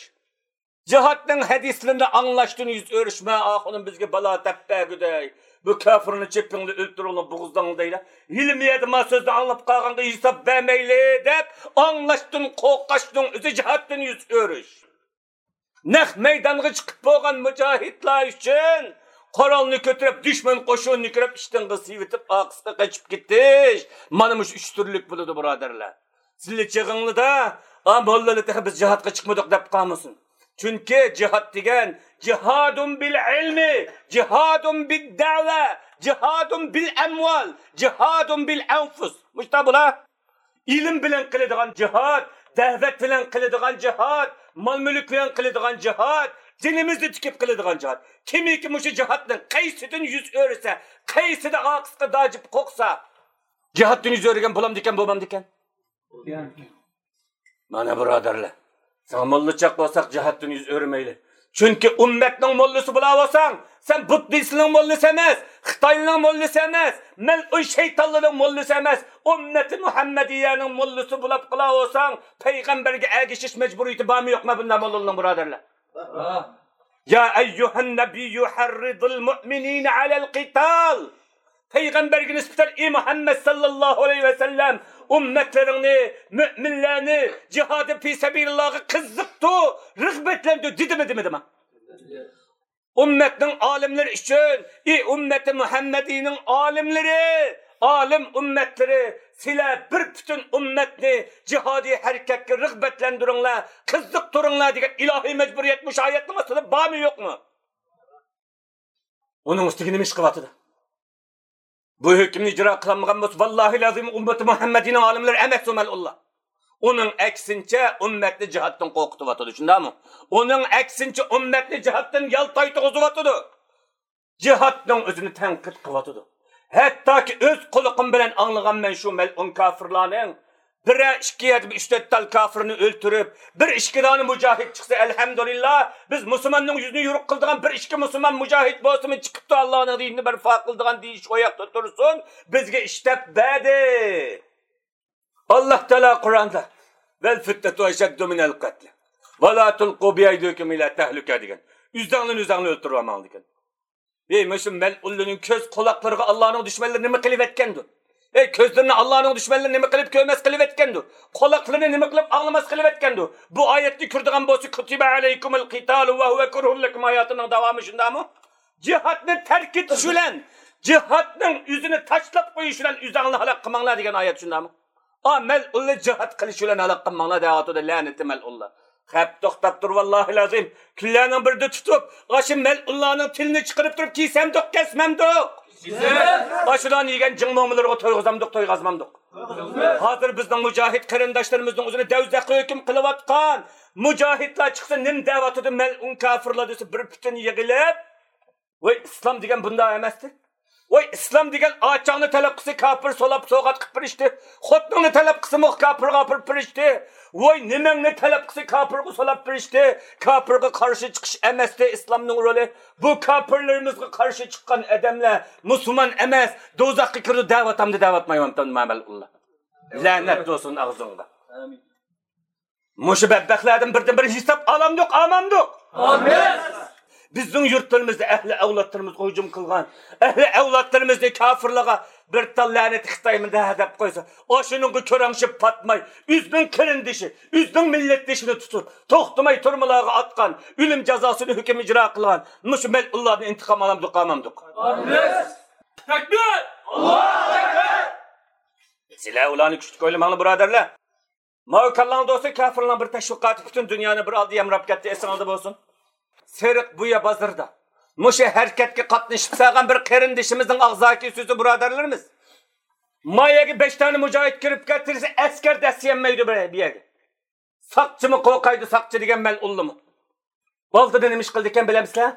جىھادنىڭ ھەدىسلىرىنى ئاڭلاشتىن يۈز ئۆرۈش، مە ئاخۇنۇم بىزگە بالا دەپ بەرگۈدەك، بۇ كاپىرنى چېپىڭلار، ئۆلتۈرۈڭلار، بوغۇزلاڭلار دەيلى. ھېلىمۇ يەردە ما سۆزنى ئاڭلاپ قالغانغا ھېساب بەرمەيلى دەپ ئاڭلاشتىن قورقۇشنىڭ ئۆزى جىھادتىن يۈز ئۆرۈش. نەق مەيدانغا چىقىپ بولغان مۇجاھىدلار ئۈچۈن قورالنى كۆتۈرۈپ، دۈشمەن قوشۇنىنى كۆرۈپ، ئىشتىنغا سىۋىتىپ، ئارقىسىغا قېچىپ كېتىش. مانا مۇشۇ ئۈچ تۈرلۈك بولىدۇ، بۇرادەرلەر. سىلى چېغىڭلىدا، ئا، موللىلار تېخى بىز جىھادقا چىقمىدۇق دەپ قالمىسۇن. چۈنكى جىھاد دېگەن، جىھادۇن بىل ئىلمى، جىھادۇن بىد دەۋە، جىھادۇن بىل ئەمۋال، جىھادۇن بىل ئەنفۇس. مۇشتا بۇلار. ئىلىم بىلەن قىلىدىغان جىھاد، دەۋەت بىلەن قىلىدىغان جىھاد، مال-مۈلۈك بىلەن قىلىدىغان جىھاد، دىنىمىزنى تىكىپ قىلىدىغان جىھاد. كىمكى مۇشۇ جىھادنىڭ قايسىدىن يۈز ئۆرۈسە، قايسىدا ئارقىسىغا داجىپ قوقسا، جىھادتىن يۈز ئۆرۈگەن بولامدىكەن، بولمامدىكەن؟ مانا، بۇرادەرلەر، ساڭا موللا چاق بولساق، جىھادتىن يۈز ئۆرۈمەيلى. چۈنكى ئۈممەتنىڭ موللىسى بولاۋالساڭ، سەن بۇددىستنىڭ موللىسى ئەمەس، خىتاينىڭ موللىسى ئەمەس، مەلئۇن شەيتانلىرىنىڭ موللىسى ئەمەس، ئۈممەتى مۇھەممەدىيەنىڭ موللىسى بولاپ قالاۋالساڭ، پەيغەمبەرگە ئەگىشىش مەجبۇرىيىتى بارمۇ يوقمۇ بۇنداق موللىنىڭ، بۇرادەرلەر؟ يا ئەييۇھەن نەبىييۇ ھەررىزىل مۇئمىنىنە ئەلەل قىتال. پەيغەمبەرگە نىسبەتەن، ئى مۇھەممەد ساللاللاھۇ ئەلەيھى ۋەسەللەم، ئۈممەتلىرىڭنى، مۆمىنلەرنى جىھادى پى سەبىلىللاھقا قىزىقتۇر، رىغبەتلەندۈر دېدىمۇ دېمىدىما؟ ئۈممەتنىڭ ئالىملىرى ئۈچۈن، ئى ئۈممىتى مۇھەممەدىينىڭ ئالىملىرى، ئالىم ئۈممەتلىرى، سىلەر بىر پۈتۈن ئۈممەتنى جىھادىي ھەرىكەتكە رىغبەتلەندۈرۈڭلار، قىزىقتۇرۇڭلار دېگەن ئىلاھىي مەجبۇرىيەت مۇشۇ ئايەتنىڭ ئاستىدا بارمۇ يوقمۇ؟ ئۇنىڭ ئۈستىگە نېمە ئىش قىلىۋاتىدۇ؟ بۇ ھۆكۈمنى ئىجرا قىلالمىغان بولسا، ۋاللاھىل ئەزىم، ئۈممىتى مۇھەممەدىينىڭ ئالىملىرى ئەمەس ئۇ مەلئۇنلار. ئۇنىڭ ئەكسىنچە، ئۈممەتنى جىھادتىن قورقۇتۇۋاتىدۇ، شۇنداقمۇ؟ ئۇنىڭ ئەكسىنچە، ئۈممەتنى جىھادتىن يالتايتقۇزۇۋاتىدۇ. جىھادنىڭ ئۆزىنى تەنقىد قىلىۋاتىدۇ. ھەتتاكى ئۆز قۇلىقىم بىلەن ئاڭلىغانمەن شۇ مەلئۇن كاپىرلارنىڭ بىرەر ئىككى يەردە بىر ئۈچ تۆت تال كاپىرنى ئۆلتۈرۈپ، بىر ئىككى دانە مۇجاھىد چىقسا، ئەلھەمدۇلىللا، بىز مۇسۇلماننىڭ يۈزىنى يورۇق قىلىدىغان بىر ئىككى مۇسۇلمان مۇجاھىد بولسىمۇ چىقىپتۇ، ئاللانىڭ دىنىنى بەرپا قىلىدىغان دېيىش ئۇ ياقتا تۇرسۇن، بىزگە ئىش دەپ بەردى. ئاللا تائالا قۇرئاندا، ۋەل فىتنەتۇ ئەشەددۇ مىنەل قەتل. ۋە لا تۇلقۇ بىئەيدىكۇم ئىلە تەھلۈكە دېگەن. ئۆزەڭلارنى ئۆزەڭلار ئۆلتۈرۈۋالماڭ دېگەن. ئەي، مۇشۇ مەلئۇنلارنىڭ كۆز قۇلاقلىرىغا ئاللانىڭ دۈشمەنلىرى نېمە قىلىۋەتكەندۇ؟ ئەي، كۆزلىرىنى ئاللانىڭ دۈشمەنلىرى نېمە قىلىپ كۆرمەس قىلىۋەتكەندۇ؟ قۇلاقلىرىنى نېمە قىلىپ ئاڭلىماس قىلىۋەتكەندۇ؟ بۇ ئايەتنى كۆرىدىغان بولسا، كۇتىبە ئەلەيكۇمۇل قىتالۇ ۋە ھۇۋە كۇرھۇن لەكۇم ئايەتىنىڭ داۋامى شۇنداقمۇ؟ جىھادنى تەرك ئېتىش بىلەن، جىھادنىڭ ئۆزىنى تاشلاپ قويۇش بىلەن ئۆزەڭلارنى ھالاك قىلماڭلار دېگەن ئايەت شۇنداقمۇ؟ ئا، مەلئۇنلار جىھاد قىلىش بىلەن ھالاك قىلماڭلار دەۋاتىدۇ، لەنىتى مەلئۇنلار. خەپ توختاپ تۇر، ۋاللاھىل ئەزىم. كۈنلەرنىڭ بىرىدە تۇتۇپ، ئاشۇ مەلئۇنلارنىڭ تىلىنى چىقىرىپ تۇرۇپ كېسەمدۇق، كەسمەمدۇق؟ ئاشۇلارنى يېگەن جىڭ مومىلىرىغا تويغۇزامدۇق، تويغازمامدۇق؟ ھازىر بىزنىڭ مۇجاھىد قېرىنداشلىرىمىزنىڭ ئۆزىنى دەۋزەخكە ھۆكۈم قىلىۋاتقان مۇجاھىدلار چىقسا، نېمە دەۋاتىدۇ؟ مەلئۇن كاپىرلار دېسە، بىر پۈتۈن يىغىلىپ، ۋاي ئىسلام دېگەن بۇنداق ئەمەستى. ۋاي ئىسلام دېگەن ئاچاڭنى تەلەپ قىلسا كاپىر سولاپ سوۋغات قىلىپ بېرىشتى. خوتۇنۇڭنى تەلەپ قىلسىمۇ كاپىرغا ئاپىرىپ بېرىشتى. ۋاي نېمەڭنى تەلەپ قىلسا كاپىرغا سولاپ بېرىشتى. كاپىرغا قارشى چىقىش ئەمەستى ئىسلامنىڭ رولى. بۇ كاپىرلىرىمىزغا قارشى چىققان ئادەملەر مۇسۇلمان ئەمەس، دوزاخقا كىرىدۇ دەۋاتامدۇ دەۋاتمايۋاتامدۇ مەلئۇنلار. لەنەت بولسۇن ئاغزىڭغا. ئامىن. مۇشۇ بەتبەختلەردىن بىردىن بىر ھېساب ئالامدۇق، ئالمامدۇق؟ ئالىمىز! بىزنىڭ يۇرتلىرىمىزدا ئەھلى ئەۋلادلىرىمىزغا ھۇجۇم قىلغان، ئەھلى ئەۋلادلىرىمىزنى كاپىرلارغا بىر تال لەنىتى خىتايمۇ دە دەپ قويسا، ئاشۇنىڭغا كۆرەڭشىپ پاتماي، ئۆزىنىڭ قېرىندىشى، ئۆزىنىڭ مىللەتدىشىنى تۇتۇپ، توختىماي تۈرمىلەرگە ئاتقان، ئۆلۈم جازاسىنى ھۆكۈم ئىجرا قىلغان مۇشۇ مەلئۇنلاردىن ئىنتىقام ئالامدۇق، ئالمامدۇق؟ ئالىمىز! تەكبىر! ئاللاھۇ ئەكبەر! سىلەر ئۇلارنى كۈچلۈك ئويلىماڭلار، بۇرادەرلەر. ماۋۇ كاللاڭدا بولسا كاپىرلارنىڭ بىر تەشۋىقاتى پۈتۈن دۇنيانى بىر ئالدى يامراپ كەتتى، ئېسىڭىزدە بولسۇن. سېرىق بۇيا بازىرىدا مۇشۇ ھەرىكەتكە قاتنىشىپ سالغان بىر قېرىندىشىمىزنىڭ ئاغزاكى سۆزى، بۇرادەرلىرىمىز. ما يەرگە بەش دانە مۇجاھىد كىرىپ كەتسە، ئەسكەر دەسسىيەلمەيدۇ بۇ يەرگە. ساقچىمۇ قورقايدۇ، ساقچى دېگەن مەلئۇنلىمۇ. ئالدىدا نېمە ئىش قىلىدىكەن بىلەمسىلەر؟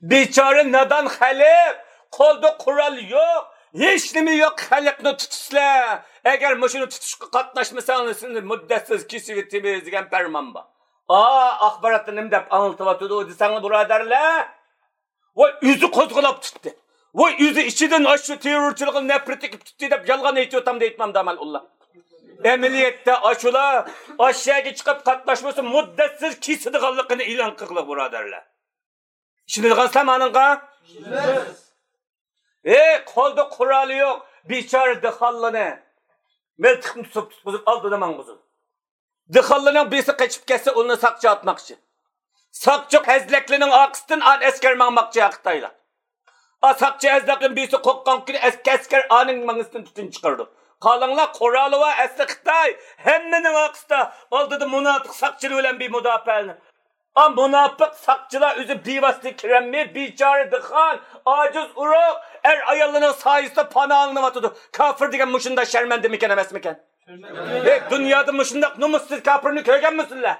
بىچارە نادان خەلق، قولدا قورال يوق، ھېچنېمە يوق خەلقنى تۇتىسىلەر. ئەگەر مۇشۇنى تۇتۇشقا قاتناشمىساڭلار، سىلىنى مۇددەتسىز كېسىۋېتىمىز دېگەن پەرمان بار. ئا، ئاخباراتتا نېمە دەپ ئاڭلىتىۋاتىدۇ دېسەڭلار، بۇرادەرلەر؟ ۋاي ئۆزى قوزغىلاپ تۇتتى. ۋاي ئۆزى ئىچىدىن ئاشۇ تېررورچىلىققا نەپرىتى كېلىپ تۇتتى دەپ يالغان ئېيتىۋاتامدۇ ئېيتمامدۇ مەلئۇنلار؟ ئەمەلىيەتتە ئاشۇلار ئاشۇ يەرگە چىقىپ قاتناشمىسا مۇددەتسىز كېسىدىغانلىقىنى ئېلان قىلغىلى، بۇرادەرلەر. ئىشىنىدىغانسىلەر مانىڭغا؟ ئىشىنىمىز. ئەي، قولدا قورالى يوق بىچارە دېھقانلارنى مىلتىقنى تۇتۇپ تۇتقۇزۇپ ئالدىدا ماڭغۇزۇپ. دېھقانلارنىڭ بىرسى قېچىپ كەتسە، ئۇنى ساقچى ئاتماقچى. ساقچى ھەزلەكلىرىنىڭ ئارقىسىدىن ئان ئەسكەر ماڭماقچى ھە خىتايلار. ئا، ساقچى ھەزلەكلىرىنىڭ بىرسى قورققان كۈنى ئەسكەر، ئەسكەر ئانىڭ مېڭىسىدىن تۈتۈن چىقىرىدۇ. قاراڭلار، قورالى بار ئەسلى خىتاي، ھەممىنىڭ ئارقىسىدا، ئالدىدا مۇناپىق ساقچىلار بىلەن بىر مۇداپىئەلىنى. ئا، مۇناپىق ساقچىلار ئۆزى بىۋاسىتە كىرەلمەي، بىچارە دېھقان، ئاجىز ئۇرۇق، ئەر-ئاياللىرىنىڭ سايىسىدا پاناھلىنىۋاتىدۇ. كاپىر دېگەن مۇشۇنداق شەرمەندىمىكەن، ئەمەسمىكەن؟ ھەي، دۇنيادا مۇشۇنداق نومۇسسىز كاپىرنى كۆرگەنمىسىلەر؟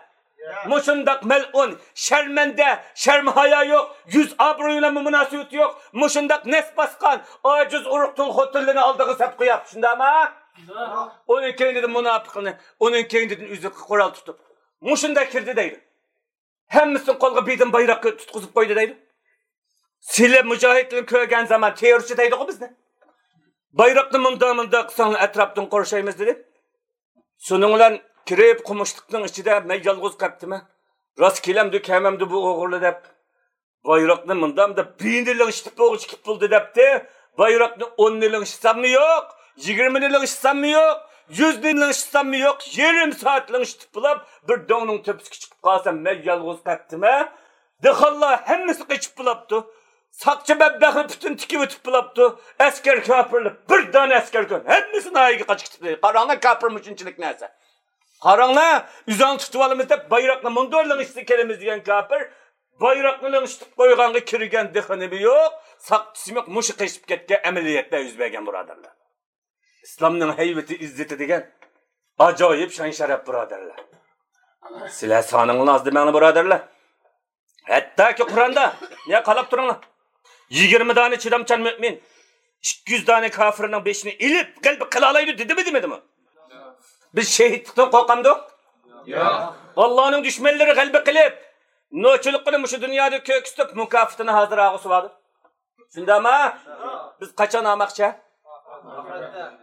مۇشۇنداق مەلئۇن، شەرمەندە، شەرم-ھايا يوق، يۈز-ئابرۇي بىلەن مۇناسىۋىتى يوق، مۇشۇنداق نەس باسقان، ئاجىز ئۇرۇق تۇل خوتۇنلىرىنى ئالدىغا سەپ قويۇپ، شۇنداقمۇ؟ ئۇنىڭ كەينىدىن مۇناپىقنى، ئۇنىڭ كەينىدىن ئۆزى قورال تۇتۇپ، مۇشۇنداق كىردى دەيدۇ. ھەممىسىنى قولىغا بىدىن بايراق تۇتقۇزۇپ قويدى دەيدۇ. سىلەر مۇجاھىدلارنى كۆرگەن زامان تېررورچى دەيدىغۇ بىزنى. بايراقنى مۇنداق مۇنداق قىلساڭلار ئەتراپتىن قورشايمىز دېدى. شۇنىڭ بىلەن كىرىپ قومۇشلۇقنىڭ ئىچىدە مەن يالغۇز قاپتىمەن. راست كېلەمدۇ كەلمەمدۇ بۇ ئوغرىلار دەپ. بايراقنى مۇنداق دەپ بىينى لىڭشىتىپ بوغۇچ كىپ بولدى دەپتى. بايراقنى ئوننى لىڭشىتساممۇ يوق، يىگىرمىنى لىڭشىتساممۇ يوق، يۈزنى لىڭشىتساممۇ يوق، يېرىم سائەت لىڭشىتىپ بولاپ بىر دۆڭنىڭ تۆپىسىگە چىقىپ قالسام مەن يالغۇز قاپتىمەن. دېھقانلار ھەممىسى قېچىپ بولاپتۇ. ساقچى بەتبەختلەر پۈتۈن تىكىۋېتىپ بولاپتۇ. ئەسكەر كاپىرلار بىر دانە ئەسكەر كۆرۈن ھەممىسى ناھىيەگە قاچىپ كېتىپتۇ. قاراڭلار كاپىر مۇشۇنچىلىك نەرسە. قاراڭلار، ئۆزۈڭ تۇتۇۋالىمىز دەپ بايراقنى مۇندۇر لىڭشىتسا كېلىمىز دېگەن كاپىر، بايراقنى لىڭشىتىپ قويغانغا كىرگەن دېخى نېمە يوق، ساقچىسى يوق، مۇشۇ قېچىپ كەتكەن ئەمەلىيەتلەر يۈز بەرگەن بۇرادەرلەر. ئىسلامنىڭ ھەيۋىتى، ئىززىتى دېگەن ئاجايىپ شان شەرەپ بۇرادەرلەر. سىلەر سانىڭلارنى ئاز دېمەڭلار بۇرادەرلەر. ھەتتاكى قۇرئاندا، يا قاراپ تۇرۇڭلار. يىگىرمە دانە چىدامچان مۆمىن ئىككى يۈز دانە كاپىرنىڭ بېشىنى ئېلىپ غەلىبە قىلالايدۇ دېدىمۇ دېمىدىمۇ؟ بىز شېھىتلىقتىن قورقامدۇق؟ ياق. ئاللانىڭ دۈشمەنلىرى غەلىبە قىلىپ، نوچىلىقىنى مۇشۇ دۇنيادا كۆرسىتىپ مۇكاپاتىنى ھازىر ئالغۇسى باردا. شۇنداقمۇ؟ بىز قاچان ئالماقچى؟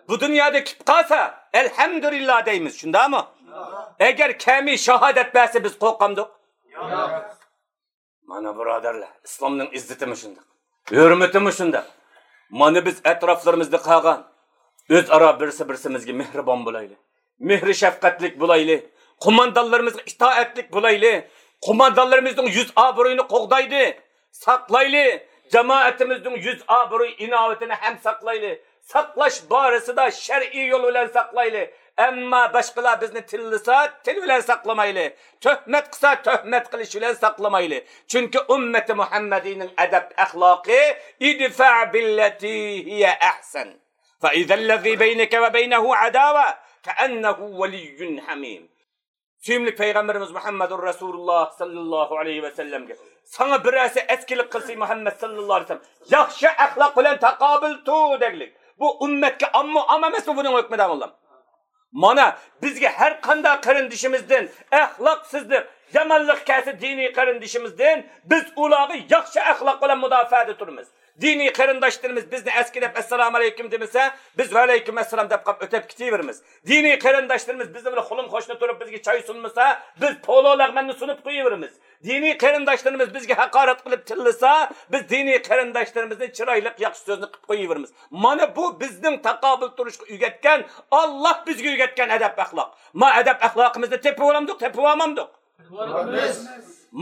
بۇ دۇنيادا كېتىپ قالسا ئەلھەمدۇلىللا دەيمىز، شۇنداقمۇ؟ ئەگەر كەلمەي شاھادەت بەرسە بىز قورقامدۇق؟ مانا بۇرادەرلەر، ئىسلامنىڭ ئىززىتىمۇ شۇنداق، ھۆرمىتىمۇ شۇنداق. مانا بىز ئەتراپلىرىمىزدا قالغان ئۆزئارا بىرسى بىرسىمىزگە مېھرىبان بولايلى، مېھرى شەپقەتلىك بولايلى، قوماندانلىرىمىزغا ئىتائەتلىك بولايلى. قوماندانلىرىمىزنىڭ يۈز ئابرۇيىنى قوغدايلى، ساقلايلى. جامائىتىمىزنىڭ يۈز ئابرۇي ئىناۋىتىنى ھەم ساقلايلى. ساقلاش بارىسىدا شەرئىي يول بىلەن ساقلايلى. ئەمما باشقىلار بىزنى تىللىسا، تىل بىلەن ساقلىمايلى. تۆھمەت قىلسا، تۆھمەت قىلىش بىلەن ساقلىمايلى. چۈنكى ئۈممىتى مۇھەممەدىينىڭ ئەدەپ ئەخلاقى، ادفع بالتي هي أحسن فإذا الذي بينك وبينه عداوة كأنه ولي حميم. سۆيۈملۈك پەيغەمبىرىمىز مۇھەممەدۇر رەسۇلۇللا ساللاللاھۇ ئەلەيھى ۋەسەللەمگە، ساڭا بىرەرسى ئەسكىلىك قىلسا، مۇھەممەد ساللاللاھۇ ئەلەيھى ۋەسەللەم، ياخشى ئەخلاق بىلەن تاقابىل تۇر دەگلىك. بۇ ئۈممەتكە ئاممۇ ئام ئەمەسمۇ بۇنىڭ ھۆكمى دەڭلام؟ مانا، بىزگە ھەر قانداق قېرىندىشىمىزدىن ئەخلاقسىزلىق، يامانلىق كەلسە دىنىي قېرىندىشىمىزدىن، بىز ئۇلارغا ياخشى ئەخلاق بىلەن مۇداپىئەدە تۇرىمىز. دىنىي قېرىنداشلىرىمىز بىزنى ئەسكى دەپ، ئەسسالامۇ ئەلەيكۇم دېمىسە، بىز ۋەئەلەيكۇم ئەسسالام دەپ قاپ ئۆتۈپ كېتىۋېرىمىز. دىنىي قېرىنداشلىرىمىز بىزنىڭ بىلەن قولۇم قوشنا تۇرۇپ بىزگە چاي سۇنمىسا، بىز پولۇ لەغمەننى سۇنۇپ قويۇۋېرىمىز. دىنىي قېرىنداشلىرىمىز بىزگە ھاقارەت قىلىپ تىللىسا، بىز دىنىي قېرىنداشلىرىمىزنى چىرايلىق ياخشى سۆزنى قىلىپ قويۇۋېرىمىز. مانا بۇ بىزنىڭ تاقابىل تۇرۇشقا ئۆگەتكەن، ئاللا بىزگە ئۆگەتكەن ئەدەپ ئەخلاق. ما ئەدەپ ئەخلاقىمىزنى تېپىۋالامدۇق، تېپىۋالمامدۇق؟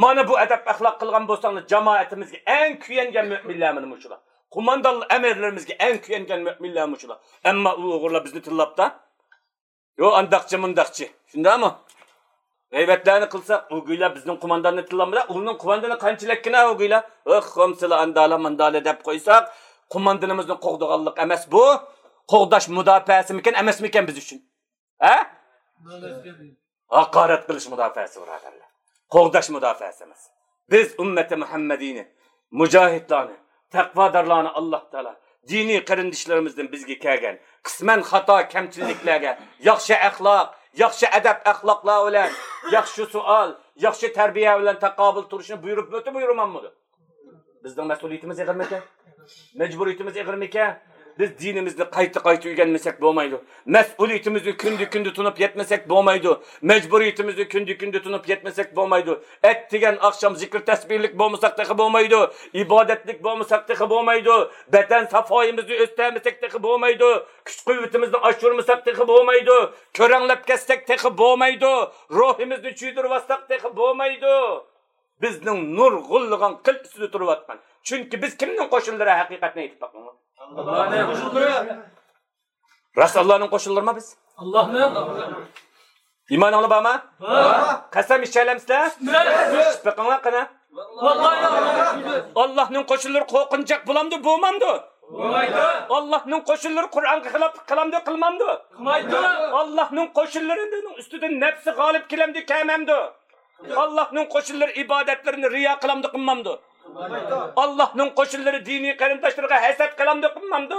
مانا بۇ ئەدەپ ئەخلاق قىلغان بولساڭلار، جامائىتىمىزگە ئەڭ كۆيۈنگەن مۆمىنلەر مانا مۇشۇلار. قوماندان ئەمىرلىرىمىزگە ئەڭ كۆيۈنگەن مۆمىنلەر مۇشۇلار. ئەمما ئۇ ئوغرىلار بىزنى تىللاپتا، يو ئانداقچى مۇنداقچى، شۇنداقمۇ؟ غەيۋەتلەرنى قىلساق، ئۇ گويلا بىزنىڭ قومانداننى تىللامدا، ئۇنىڭ قوماندانى قانچىلىككىنە ئۇ گويلا؟ ئوخ، خومسىلا ئاندالا ماندالا دەپ قويساق، قوماندىنىمىزنى قوغدىغانلىق ئەمەس بۇ؟ قوغداش مۇداپىئەسىمىكەن، ئەمەسمىكەن بىز ئۈچۈن؟ ھە؟ ھاقارەت قىلىش مۇداپىئەسى، بۇرادەرلەر. قوغداش مۇداپىئەسى ئەمەس. بىز ئۈممەتى مۇھەممەدىينى، مۇجاھىدلارنى، تەقۋادارلارنى ئاللا تائالا دىنىي قېرىندىشلىرىمىزدىن بىزگە كەلگەن قىسمەن خاتا، كەمچىلىكلەرگە ياخشى ئەخلاق، ياخشى ئەدەپ-ئەخلاقلار بىلەن، ياخشى سوئال، ياخشى تەربىيە بىلەن تاقابىل تۇرۇشنى بۇيرۇپمىدى، بۇيرۇماممىدى؟ بىزنىڭ مەسئۇلىيىتىمىز ئېغىرمىكەن؟ مەجبۇرىيىتىمىز ئېغىرمىكەن؟ بىز دىنىمىزنى قايتا-قايتا ئۆگەنمىسەك بولمايدۇ. مەسئۇلىيىتىمىزنى كۈندە-كۈندە تونۇپ يەتمىسەك بولمايدۇ. مەجبۇرىيىتىمىزنى كۈندە-كۈندە تونۇپ يەتمىسەك بولمايدۇ. ئەتىگەن ئاخشام زىكىر تەسبىھلىك بولمىساق تېخى بولمايدۇ. ئىبادەتلىك بولمىساق تېخى بولمايدۇ. بەدەن ساپايىمىزنى ئۆستۈرمىسەك تېخى بولمايدۇ. كۈچ-قۇۋۋىتىمىزنى ئاشۇرمىساق تېخى بولمايدۇ. كۆرەڭلەپ كەتسەك تېخى بولمايدۇ. روھىمىزنى چۈشۈرۈۋاتساق تېخى بولمايدۇ. بىزنىڭ نۇرغۇنلىغان قىل ئۈستىدە تۇرۇۋاتقان. چۈنكى بىز كىمنىڭ قوشۇنلىرى، ھەقىقەتنى ئېيتىپ باقىڭلار. ئاللانىڭ قوشۇنلىرى. راست ئاللانىڭ قوشۇنلىرىما بىز؟ ئاللانىڭ. ئىمانىڭلار بارمۇ؟ بار. قەسەم ئىچەلەمسىلەر؟ ئىچىمىز. ئىچىپ بېقىڭلار قېنى. ۋاللاھى. ئاللانىڭ قوشۇنلىرى قورقۇنچاق بولامدۇ، بولمامدۇ؟ بولمايدۇ. ئاللانىڭ قوشۇنلىرى قۇرئانغا خىلاپلىق قىلامدۇ، قىلمامدۇ؟ قىلمايدۇ. ئاللانىڭ قوشۇنلىرىنىڭ ئۈستىدىن نەپسى غالىب كېلەمدۇ، كەلمەمدۇ؟ ئاللانىڭ قوشۇنلىرى ئىبادەتلىرىنى رىيا قىلامدۇ، قىلمامدۇ؟ ئاللانىڭ قوشۇنلىرى دىنىي قېرىنداشلىرىغا ھەسەت قىلامدۇ، قىلمامدۇ؟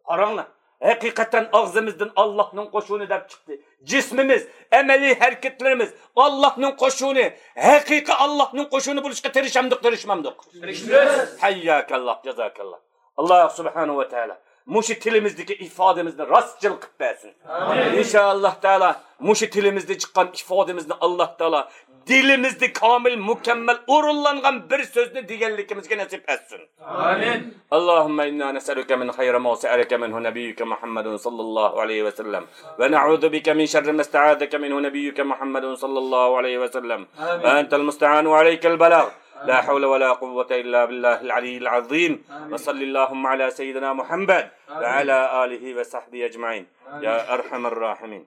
قاراڭلار، ھەقىقەتەن ئاغزىمىزدىن ئاللاھنىڭ قوشۇنى دەپ چىقتى. جىسمىمىز، ئەمەلىي ھەرىكەتلىرىمىز ئاللاھنىڭ قوشۇنى، ھەقىقىي ئاللاھنىڭ قوشۇنى بولۇشقا تىرىشامدۇق، تىرىشمامدۇق؟ تىرىشىمىز. ھەيياكاللاھ، جازاكاللاھ. ئاللاھ سۇبھانەھۇ ۋە تائالا مۇشۇ تىلىمىزدىكى ئىپادىمىزنى راستچىل قىلىپ بەرسۇن. ئامىن. ئىنشائاللاھ تائالا مۇشۇ تىلىمىزدىن چىققان ئىپادىمىزنى ئاللاھ تائالا دىلىمىزدە كامىل، مۇكەممەل ئورۇنلانغان بىر سۆزنى دېگەنلىكىمىزگە نېسىپ ئەتسۇن. آمين. اللهم إنا نسألك من خير ما سألك منه نبيك محمد صلى الله عليه وسلم، ونعوذ بك من شر ما استعاذك منه نبيك محمد صلى الله عليه وسلم. آمين. وأنت المستعان وعليك البلاغ. لا حول ولا قوة إلا بالله العلي العظيم. آمين. وصل اللهم على سيدنا محمد، آمين، وعلى آله وصحبه أجمعين. يا أرحم الراحمين.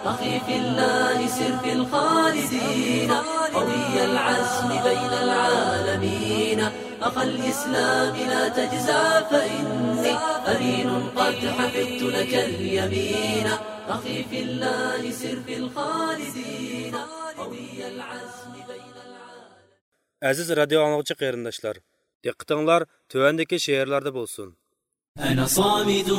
أخي في الله سر في الخالدين، قوي العزم بين العالمين. أخا الإسلام لا تجزع، فإني أمين قد حفظت لك اليمين. أخي في الله سر في الخالدين، قوي العزم بين العالمين. ئەزىز رادىيو ئاڭلىغۇچى قېرىنداشلار، دىققىتىڭلار تۆۋەندىكى شېئىرلاردا بولسۇن. أنا صامد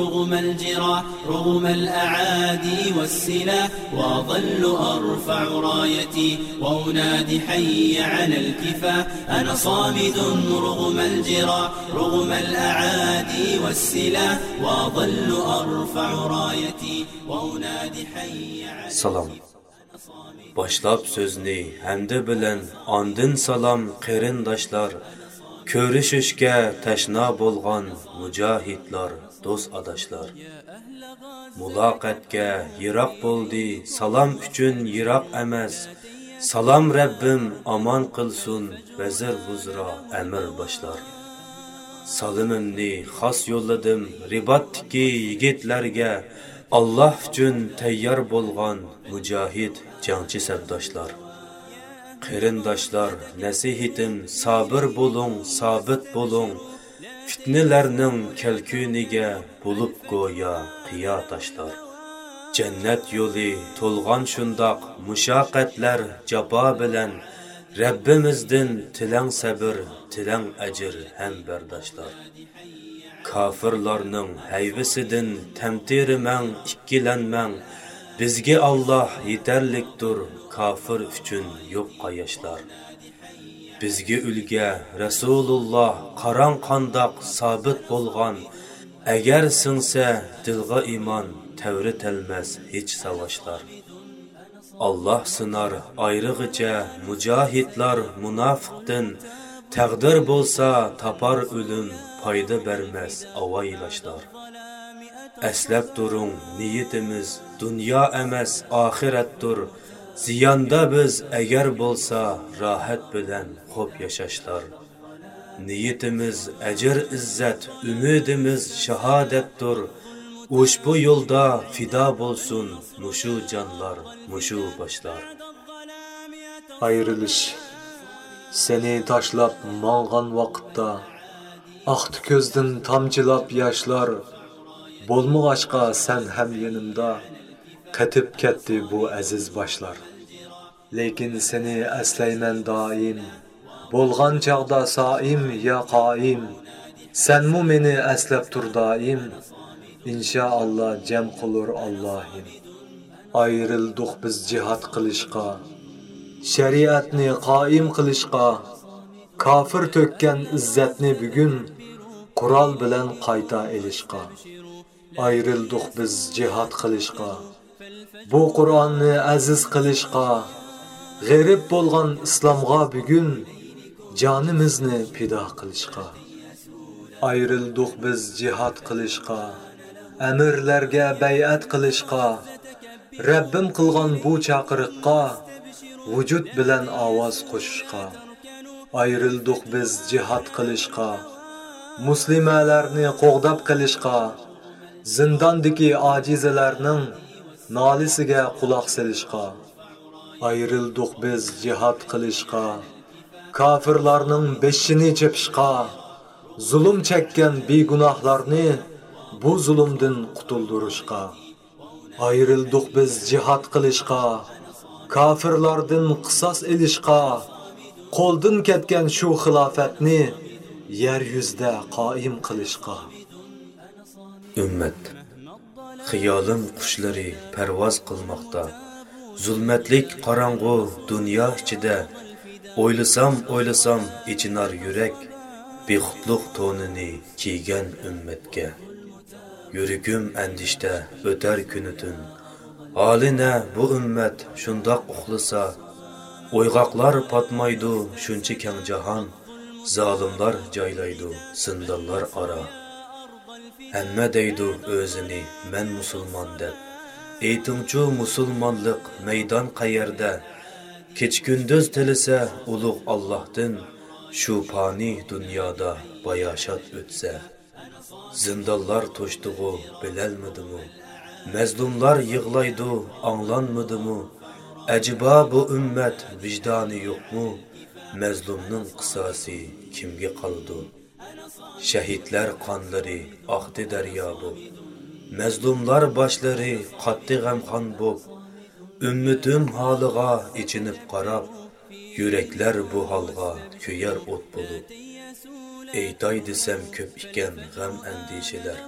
رغم الجراح، رغم الأعادي والسلاح، وأظل أرفع رايتي وأنادي حي على الكفاح. أنا صامد رغم الجراح، رغم الأعادي والسلاح، وأظل أرفع رايتي وأنادي حي على سلام. باشلاپ سۆزنى ھەمدە بىلەن، ئاندىن سالام قېرىنداشلار، كۆرۈشۈشكە تەشنا بولغان مۇجاھىدلار، دوست ئاداشلار. مۇلاقەتكە يىراق بولدى، سالام ئۈچۈن يىراق ئەمەس. سالام رەببىم ئامان قىلسۇن، ۋەزىر، ۋۇزرا، ئەمىر باشلار. سالىمىمنى خاس يوللىدىم رىباتتىكى يىگىتلەرگە، ئاللاھ ئۈچۈن تەييار بولغان مۇجاھىد جەڭچى سەپداشلار. قېرىنداشلار، نەسىھىتىم، سابىر بولۇڭ، سابىت بولۇڭ، پىتنىلەرنىڭ كەلكۈنىگە بولۇپ گويا قىيا تاشلار. جەننەت يولى تولغان شۇنداق مۇشەققەتلەر، جاپا بىلەن، رەببىمىزدىن تىلەڭ سەبىر، تىلەڭ ئەجىر ھەم بەرداشلار. كاپىرلارنىڭ ھەيۋىسىدىن تەمتىرىمەڭ، ئىككىلەنمەڭ، بىزگە ئاللاھ يېتەرلىكتۇر، كاپىر ئۈچۈن يوق قاياشلار. بىزگە ئۈلگە رەسۇلۇللاھ، قاراڭ قانداق سابىت بولغان، ئەگەر سىڭسە دىلغا ئىمان، تەۋرىتەلمەس ھېچ ساۋاشلار. ئاللاھ سىنار ئايرىغىچە مۇجاھىدلار مۇناپىقتىن، تەقدىر بولسا تاپار ئۆلۈم، پايدا بەرمەس ئاۋايلاشلار. ئەسلەپ تۇرۇڭ، نىيىتىمىز دۇنيا ئەمەس، ئاخىرەتتۇر. زىياندا بىز ئەگەر بولسا، راھەت بىلەن خوپ ياشاشلار. نىيىتىمىز ئەجىر-ئىززەت، ئۈمىدىمىز شاھادەتتۇر. ئۇشبۇ يولدا پىدا بولسۇن مۇشۇ جانلار، مۇشۇ باشلار. ئايرىلىش. سېنى تاشلاپ ماڭغان ۋاقىتتا، ئاقتى كۆزدىن تامچىلاپ ياشلار. بولمىغاچقا سەن ھەم يېنىمدا، قېتىپ كەتتى بۇ ئەزىز باشلار. لېكىن سېنى ئەسلەيمەن دائىم، بولغان چاغدا سائىم يا قائىم. سەنمۇ مېنى ئەسلەپ تۇر دائىم، ئىنشائاللا جەم قىلۇر ئاللاھىم. ئايرىلدۇق بىز جىھاد قىلىشقا، شەرىئەتنى قائىم قىلىشقا. كاپىر تۆككەن ئىززەتنى بۈگۈن، قورال بىلەن قايتا ئېلىشقا. ئايرىلدۇق بىز جىھاد قىلىشقا، بۇ قۇرئاننى ئەزىز قىلىشقا. غېرىب بولغان ئىسلامغا بۈگۈن، جانىمىزنى پىدا قىلىشقا. ئايرىلدۇق بىز جىھاد قىلىشقا، ئەمىرلەرگە بەيئەت قىلىشقا. رەببىم قىلغان بۇ چاقىرىققا، ۋۇجۇد بىلەن ئاۋاز قوشۇشقا. ئايرىلدۇق بىز جىھاد قىلىشقا، مۇسلىمەلەرنى قوغداپ قېلىشقا. زىنداندىكى ئاجىزلارنىڭ نالىسىگە قۇلاق سېلىشقا. ئايرىلدۇق بىز جىھاد قىلىشقا، كاپىرلارنىڭ بېشىنى چېپىشقا. زۇلۇم چەككەن بىگۇناھلارنى بۇ زۇلۇمدىن قۇتۇلدۇرۇشقا. ئايرىلدۇق بىز جىھاد قىلىشقا، كاپىرلاردىن قىساس ئېلىشقا، قولدىن كەتكەن شۇ خىلاپەتنى يەر يۈزىدە قائىم قىلىشقا. ئۈممەت، خىيالىم قۇشلىرى پەرۋاز قىلماقتا، زۇلمەتلىك قاراڭغۇ دۇنيا ئىچىدە. ئويلىسام، ئويلىسام، ئېچىنار يۈرەك، بىخۇدلۇق تونىنى كىيگەن ئۈممەتكە. يۈرىكىم ئەندىشىدە ئۆتەر كۈنى تۈن، ھالى نە بۇ ئۈممەت شۇنداق ئۇخلىسا؟ ئويغاقلار پاتمايدۇ شۇنچە كەڭ جاھان، زالىملار جايلايدۇ زىندانلار ئارا. ھەممە دەيدۇ ئۆزىنى مەن مۇسۇلمان دەپ، ئېيتىڭچۇ مۇسۇلمانلىق مەيدان قەيەردە؟ كېچە-كۈندۈز تىلىسە ئۇلۇغ ئاللاھتىن، شۇ پانىي دۇنيادا باياشات ئۆتسە. زىندانلار توشتىغۇ، بىلەلمىدىمۇ؟ مەزلۇملار يىغلايدۇ، ئاڭلانمىدىمۇ؟ ئەجەبا بۇ ئۈممەت ۋىجدانى يوقمۇ؟ مەزلۇمنىڭ قىساسى كىمگە قالىدۇ؟ شەھىدلەر قانلىرى ئاقتى دەريا بوپ، مەزلۇملار باشلىرى قاتتى غەمخان بوپ. ئۈممىتىم ھالىغا ئېچىنىپ قاراپ، يۈرەكلەر بۇ ھالغا كۆيەر ئوت بولۇپ. ئېيتاي دېسەم كۆپ ئىكەن غەم ئەندىشىلەر،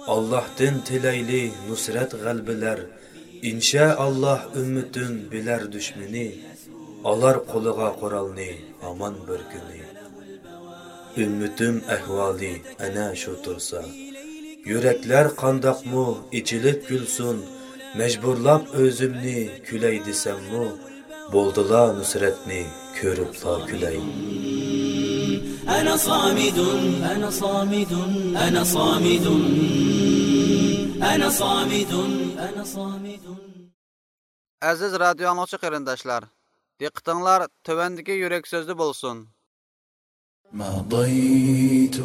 ئاللاھتىن تىلەيلى نۇسرەت غەلىبىلەر. ئىنشائاللاھ ئۈممىتىم بىلەر دۈشمىنى، ئالار قولىغا قورالنى ھامان بىر كۈنى. ئۈممىتىم ئەھۋالى ئەنە شۇ تۇرسا، يۈرەكلەر قانداقمۇ ئېچىلىپ كۈلسۇن؟ مەجبۇرلاپ ئۆزۈمنى كۈلەي دېسەممۇ، بولدىلا نۇسرەتنى كۆرۈپلا كۈلەي. أنا صامد، أنا صامد، أنا صامد، أنا صامد، أنا صامد. ئەزىز رادىيو ئاڭلىغۇچى قېرىنداشلار، دىققىتىڭلار تۆۋەندىكى يۈرەك سۆزدە بولسۇن. مضيت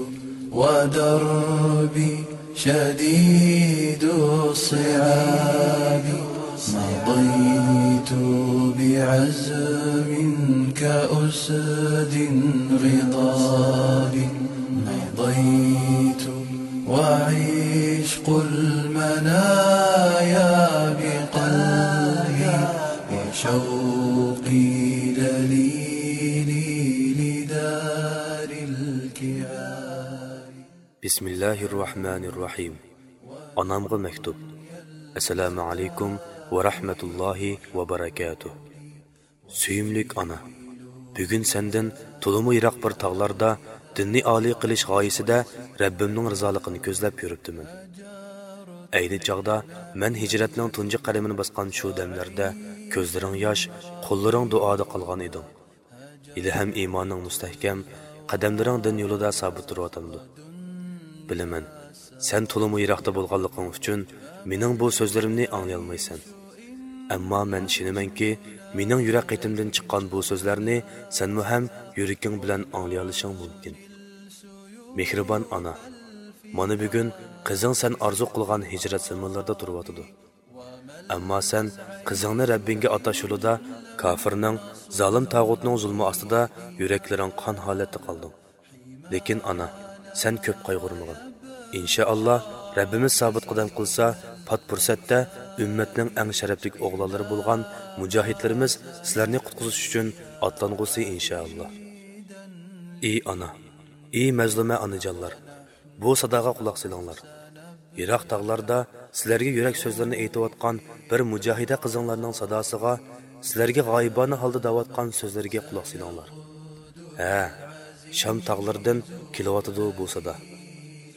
ودربي شديد الصعاب، مضيت بعزم كأسد غضاب، مضيت وعشق المنايا بقلبي، وشوقي دليلي لدار الكرام. بسم الله الرحمن الرحيم. ئانامغا مەكتۇب. ئەسسالامۇ ئەلەيكۇم ۋە رەھمەتۇللاھى ۋە بەرەكاتۇھ. سۆيۈملۈك ئانا، بۈگۈن سەندىن تولىمۇ يىراق بىر تاغلاردا دىننى ئالىي قىلىش غايىسىدە رەببىمنىڭ رىزالىقىنى كۆزلەپ يۈرۈپتىمەن. ئەينى چاغدا مەن ھىجرەتنىڭ تۇنجى قەدىمىنى باسقان شۇ دەملەردە كۆزلىرىڭ ياش، قوللىرىڭ دۇئادا قالغان ئىدىڭ. ھېلىھەم ئىمانىڭ مۇستەھكەم، قەدەملىرىڭ دىن يولىدا سابىت تۇرۇۋاتامدۇ؟ بىلىمەن، سەن تولىمۇ يىراقتا بولغانلىقىڭ ئۈچۈن مېنىڭ بۇ سۆزلىرىمنى ئاڭلىيالمايسەن. ئەمما مەن ئىشىنىمەنكى، مېنىڭ يۈرەك قېتىمدىن چىققان بۇ سۆزلەرنى سەنمۇ ھەم يۈرىكىڭ بىلەن ئاڭلىيالىشىڭ مۇمكىن. مېھرىبان ئانا، مانا بۈگۈن قىزىڭ سەن ئارزۇ قىلغان ھىجرەت زېمىنلىرىدا تۇرۇۋاتىدۇ. ئەمما سەن قىزىڭنى رەببىڭگە ئاتاش يولىدا كاپىرنىڭ، زالىم تاغۇتنىڭ زۇلمى ئاستىدا يۈرەكلىرىڭ قان ھالەتتە قالدىڭ. لېكىن ئانا، سەن كۆپ قايغۇرمىغىن. ئىنشائاللا، رەببىمىز سابىت قەدەم قىلسا، پات پۇرسەتتە ئۈممەتنىڭ ئەڭ شەرەپلىك ئوغلانلىرى بولغان مۇجاھىدلىرىمىز سىلەرنى قۇتقۇزۇش ئۈچۈن ئاتلانغۇسى ئىنشائاللا. ئى ئانا، ئى مەزلۇمە ئانىجانلار، بۇ ساداغا قۇلاق سېلىڭلار. يىراق تاغلاردا سىلەرگە يۈرەك سۆزلىرىنى ئېيتىۋاتقان بىر مۇجاھىدە قىزىڭلارنىڭ ساداسىغا سىلەرگە غايىبانە ھالدا دەۋاتقان سۆزلىرىگە قۇلاق سېلىڭلار. ھە، شام تاغلىرىدىن كېلىۋاتىدۇ بۇ سادا.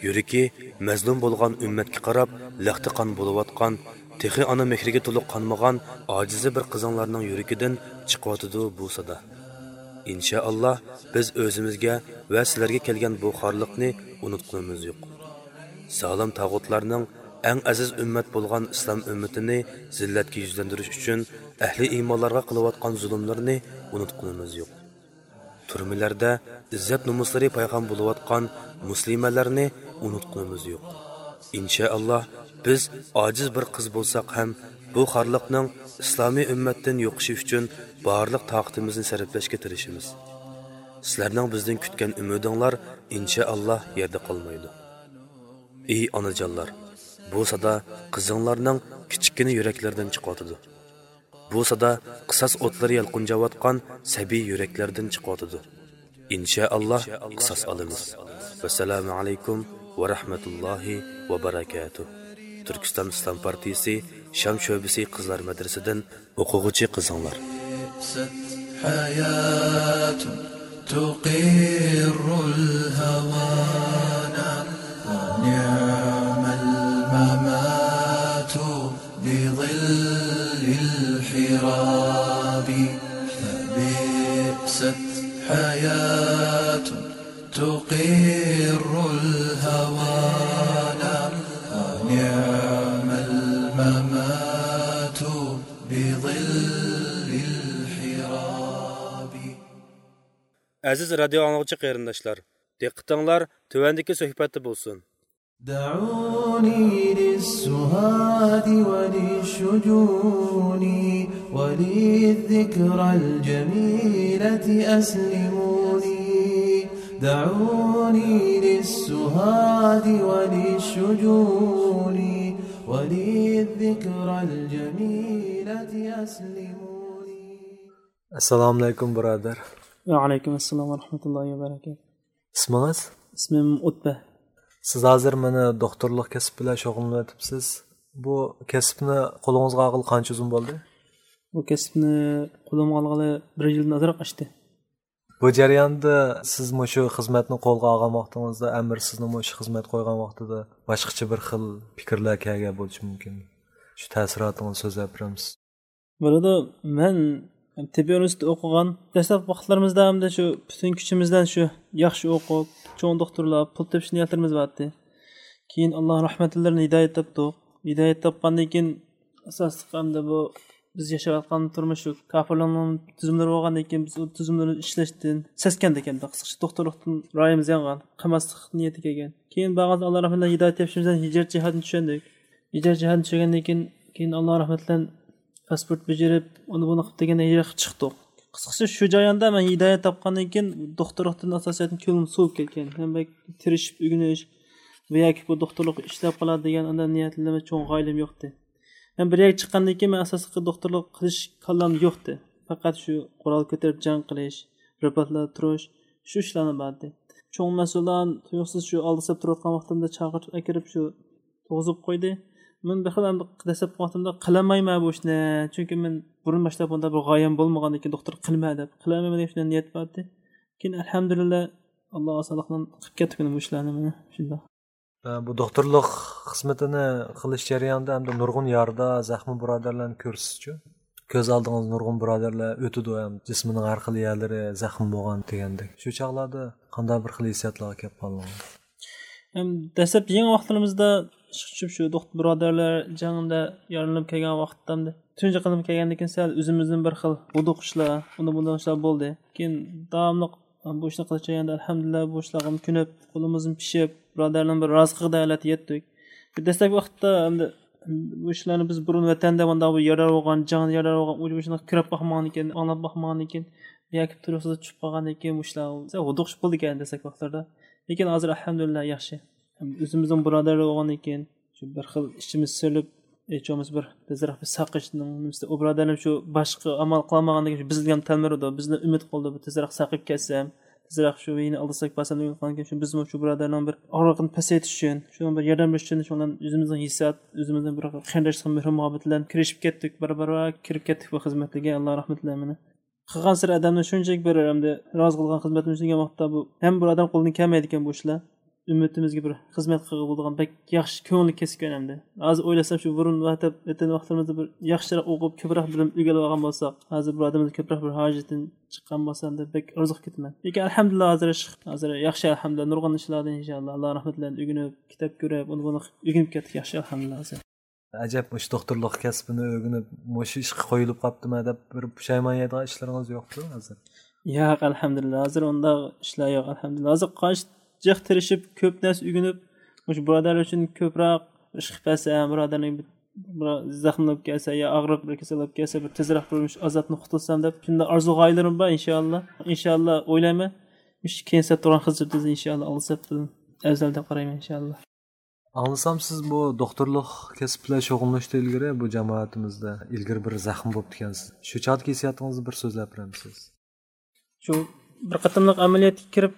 يۈرىكى مەزلۇم بولغان ئۈممەتكە قاراپ لەختە قان بولۇۋاتقان، تېخى ئانا مېھرىگە تولۇق قانمىغان ئاجىزى بىر قىزىڭلارنىڭ يۈرىكىدىن چىقىۋاتىدۇ بۇ سادا. ئىنشائاللا، بىز ئۆزىمىزگە ۋە سىلەرگە كەلگەن بۇ خارلىقنى ئۇنتقىنىمىز يوق. زالىم تاغۇتلارنىڭ ئەڭ ئەزىز ئۈممەت بولغان ئىسلام ئۈممىتىنى زىللەتكە يۈزلەندۈرۈش ئۈچۈن ئەھلى ئىمانلارغا قىلىۋاتقان زۇلۇملىرىنى ئۇنتقىنىمىز يوق. تۈرمىلەردە ئىززەت-نومۇسلىرى پايخان بولۇۋاتقان مۇسلىمەنلەرنى ئۇنتقىنىمىز يوق. ئىنشائاللا، بىز ئاجىز بىر قىز بولساق ھەم، بۇ خارلىقنىڭ ئىسلامىي ئۈممەتتىن يوقىشى ئۈچۈن بارلىق تاقىتىمىزنى سەرپلەشكە تىرىشىمىز. سىلەرنىڭ بىزدىن كۈتكەن ئۈمىدىڭلار، ئىنشائاللا، يەردە قالمايدۇ. ئى ئانىجانلار، بۇ سادا قىزىڭلارنىڭ كىچىككىنە يۈرەكلىرىدىن چىقىۋاتىدۇ. بۇ سادا قىساس ئوتلىرى يالقۇنجاۋاتقان سەبىي يۈرەكلەردىن چىقىۋاتىدۇ. ئىنشائاللا، قىساس ئالىمىز. ۋەسسالامۇ ئەلەيكۇم ۋە رەھمەتۇللاھى ۋە بەرەكاتۇھ. تۈركىستان ئىسلام پارتىيىسى شام شۆبىسى قىزلار مەدرىسىدىن ئوقۇغۇچى قىزىڭلار. بئست حياة تقر الهوانا، ونعم الممات بظل الحراب. فبئست حياة تقر الهوانا، ونعم الممات بظل الحراب. ئەزىز رادىيو ئاڭلىغۇچى قېرىنداشلار، دىققىتىڭلار تۆۋەندىكى سۆھبەتتە بولسۇن. دعوني للسهاد وللشجون، وللذكرى الجميلة أسلموني. دعوني للسهاد وللشجون، وللذكرى الجميلة أسلموني. ئەسسالامۇئەلەيكۇم، بۇرادەر. ۋەئەلەيكۇم ئەسسالام ۋە رەھمەتۇللاھى ۋە بەرەكاتۇھ. ئىسمىڭىز؟ ئىسمىم ئۇتبە. سىز ھازىر مانا دوختۇرلۇق كەسىپ بىلەن شۇغۇللىنىۋېتىپسىز. بۇ كەسىپنى قولىڭىزغا ئالغىلى قانچە ئۇزۇن بولدى؟ بۇ كەسىپنى قولۇمغا ئالغىلى بىر يىلدىن ئازراق ئاشتى. بۇ جەرياندا سىز مۇشۇ خىزمەتنى قولغا ئالغان ۋاقتىڭىزدا، ئەمىر سىزنى مۇشۇ خىزمەتكە قويغان ۋاقتىدا باشقىچە بىر خىل پىكىرلەر كەلگەن بولۇشى مۇمكىن. شۇ تەسىراتىڭىزنى سۆزلەپ بېرەمسىز؟ بولىدۇ. مەن تېببىي ئۇنىۋېرسىتېتتا ئوقۇغان دەسلەپكى ۋاقىتلىرىمىزدا ھەمدە شۇ پۈتۈن كۈچىمىزدىن شۇ ياخشى ئوقۇپ، چوڭ دوختۇرلاپ، پۇل تېپىش نىيەتلىرىمىز بار ئىدى. كېيىن ئاللا رەھمىتى بىلەن ھىدايەت تاپتۇق. ھىدايەت تاپقاندىن كېيىن ئاساسلىق ئەمدى بۇ بىز ياشاۋاتقان تۇرمۇش شۇ كاپىرلارنىڭ تۈزۈملىرى بولغاندىن كېيىن بىز ئۇ تۈزۈملەرنى ئىشلەشتىن سەسكەندۇق ئەمدى. قىسقىچە دوختۇرلۇقتىن رايىمىز يانغان، قىلماسلىق نىيىتىگە كەلگەن. كېيىن بارغانسېرى ئاللا رەھمىتى بىلەن ھىدايەت تېپىشىمىز بىلەن ھىجرەت جىھادىنى چۈشەندۇق. ھىجرەت جىھادىنى چۈشەنگەندىن كېيىن، كېيىن ئاللا رەھمىتى بىلەن پاسپورت بېجىرىپ، ئۇنى بۇنى قىلىپ دېگەندە ھىجرەتكە چىقتۇق. قىسقىسى شۇ جەرياندا مەن ھىدايەت تاپقاندىن كېيىن دوختۇرلۇقتىن ئاساسەن كۆڭلۈم سوۋۇپ كەتكەن. ھەم بەك تىرىشىپ ئۆگىنىش ۋە ياكى بۇ دوختۇرلۇققا ئىشلەپ قالا دېگەن ئانداق نىيەتلىرىم چوڭ غايىلىم يوقتى. ھەم بىر يەرگە چىققاندىن كېيىن مەن ئاساسلىقى دوختۇرلۇق قىلىش كاللامدا يوقتى. پەقەت شۇ قورال كۆتۈرۈپ جەڭ قىلىش، رىباتلاردا تۇرۇش، شۇ ئىشلارلا بار ئىدى. چوڭ مەسئۇللار تۇيۇقسىز شۇ ئالدىساپ تۇرۇۋاتقان ۋاقتىمدا چاقىرتىپ ئەكىرىپ شۇ تۇرغۇزۇپ قويدى. مەن بىر خىل ئەمدى دەسلەپكى ۋاقتىمدا قىلالمايمەن بۇ ئىشنى. چۈنكى مەن بۇرۇن باشلاپ بۇنداق بىر غايەم بولمىغان ئىكەن، دوختۇر قىلىمەن دەپ. قىلالمايمەن دېگەن شۇنداق نىيەت بار ئىدى. كېيىن ئەلھەمدۇلىللا، ئاللا ئاسانلىق بىلەن قىلىپ كەتتۇق بۇ ئىشلارنى مانا شۇنداق. ئە، بۇ دوختۇرلۇق خىزمىتىنى قىلىش جەريانىدا ئەمدى نۇرغۇن يارىدار، زەخمى بۇرادەرلەرنى كۆرىسىزچۇ؟ كۆز ئالدىڭىزدا نۇرغۇن بۇرادەرلەر ئۆتىدۇ ھەم جىسمىنىڭ ھەر خىل يەرلىرى زەخىم بولغان دېگەندەك. شۇ چاغلاردا قانداق بىر خىل ھېسسىياتلارغا كەپ قالدىڭىز؟ ھەم دەسلەپ يېڭى ۋاقىتلىرىمىزدا ئىشقا چۈشۈپ شۇ دوختۇر بۇرادەرلەر جەڭدە يارىلىنىپ كەلگەن ۋاقىتتا، تۇنجى قېتىم كەلگەندىن كېيىن سەل ئۆزىمىزدىن بىر خىل ھودۇقۇشلار، ئۇنداق بۇنداق ئىشلار بولدى. كېيىن داۋاملىق بۇ ئىشنى قىلىش جەريانىدا ئەلھەمدۇلىللا بۇ ئىشلارغا كۆنۈپ، قولىمىزمۇ پىشىپ، بۇرادەرنىڭ بىر رازىلىقىغا دەۋەت يەتتۇق. دەسلەپكى ۋاقىتتا ئەمدى بۇ ئىشلارنى بىز بۇرۇن ۋەتەندە مۇنداق بىر يارىدار بولغان، جەڭدە يارىدار بولغان، ئۇ بۇ ئىشلارغا كۆرۈپ باقمىغان ئىكەن، ئاڭلاپ باقمىغان ئىكەن، ياكى تۇرۇقسىز چۈشۈپ قالغان ئىكەن، بۇ ئىشلار ھودۇقۇش بولىدىكەن دەسلەپكى ۋاقىتلاردا. لېكىن ھازىر ئەلھەمدۇلىللا ياخشى. ئۆزىمىزنىڭ بۇرادەرلىرى بولغاندىن كېيىن، شۇ بىر خىل ئىچىمىز سېلىپ، ھېچ بولمىسا بىر تېزرەك بىر ساقىيىشنىڭ نېمىسىدە، ئۇ بۇرادەرلىرىم شۇ باشقا ئامال قىلالمىغاندىن كېيىن، شۇ بىزگە ھەم تەلمۈرىدۇ، بىزنى ئۈمىد قىلىدۇ، بىر تېزرەك ساقىيىپ كەتسەم، تېزرەك شۇ يەنە ئالدىساق بارسام دەپ ئۆمىد قىلغاندىن كېيىن، شۇ بىزمۇ شۇ بۇرادەرنىڭ بىر ئاغرىقىنى پەسەيتىش ئۈچۈن، شۇنىڭ بىر ياردەم بېرىش ئۈچۈن، شۇنىڭ بىلەن ئۆزىمىزنىڭ ھېسسىيات، ئۆزىمىزنىڭ بىر قېرىنداشلىق مېھرى مۇھەببىتى بىلەن كىرىشىپ كەتتۇق، بارا بارا كىرىپ كەتتۇق بۇ خىزمەتلەرگە، ئاللا رەھمىتى بىلەن مېنى. قىلغانسېرى ئادەمنى شۇنچىلىك بىر ئەمدى رازى قىلغان خىزمەتنى دېگەن ۋاقىتتا بۇ ھەم بۇ ئادەم قولىدىن كەلمەيدىكەن بۇ ئىشلار. ئۈممىتىمىزگە بىر خىزمەت قىلغىلى بولىدىغان بەك ياخشى كۆڭۈللۈك كەسىپ ئىكەن ئەمدى. ھازىر ئويلىسام شۇ بۇرۇن ۋەتەن ۋاقىتلىرىمىزدا بىر ياخشىراق ئوقۇپ كۆپرەك بىلىم ئىگىلىۋالغان بولساق، ھازىر بۇ ئادەمدىن كۆپرەك بىر ھاجىتىدىن چىققان بولسا ئەمدى بەك ئارزۇ قىلىپ كېتىمەن. لېكىن ئەلھەمدۇلىللا ھازىر ئىش، ھازىر ياخشى ئەلھەمدۇلىللا، نۇرغۇن ئىشلاردىن ئىنشائاللا، ئاللا رەھمىتى بىلەن ئۆگىنىپ، كىتاب كۆرۈپ، ئۇنى بۇنى ئۆگىنىپ كەتتۇق ياخشى ئەلھەمدۇلىللا ھازىر. ئەجەب، مۇشۇ دوختۇرلۇق كەسپىنى ئۆگىنىپ، مۇشۇ ئىشقا قويۇلۇپ قاپتىمەن دەپ بىر پۇشايمان يەيدىغان ئىشلىرىڭىز يوقتۇ ھازىر؟ ياق، ئەلھەمدۇلىللا، ھازىر ئۇنداق ئىشلار يوق، ئەلھەمدۇلىللا. ھازىر قانچە جىق تىرىشىپ، كۆپ نەرسە ئۆگىنىپ، مۇشۇ بۇرادەرلەر ئۈچۈن كۆپرەك ئىش قىلىپ بەرسەم، بۇرادەرنىڭ بىر، بىر زەخىملىنىپ كەلسە يا ئاغرىپ بىر كېسەل بولۇپ كەلسە، بىر تېزرەك بىر مۇشۇ ئازابتىن قۇتۇلسام دەپ، شۇنداق ئارزۇ غايىلىرىم بار، ئىنشائاللا. ئىنشائاللا ئويلايمەن، مۇشۇ كېيىن سەپ تۇرغان خىزمىتىمىز ئىنشائاللا ئالدى سەپتىن ئەۋزەل دەپ قارايمەن، ئىنشائاللا. ئاڭلىسام، سىز بۇ دوختۇرلۇق كەسىپ بىلەن شۇغۇللىنىشتىن ئىلگىرى بۇ جامائىتىمىزدە ئىلگىرى بىر زەخىم بوپتىكەنسىز. شۇ چاغدىكى ھېسسىياتىڭىزنى بىر سۆزلەپ بېرەمسىز؟ شۇ بىر قېتىملىق ئەمەلىيەتكە كىرىپ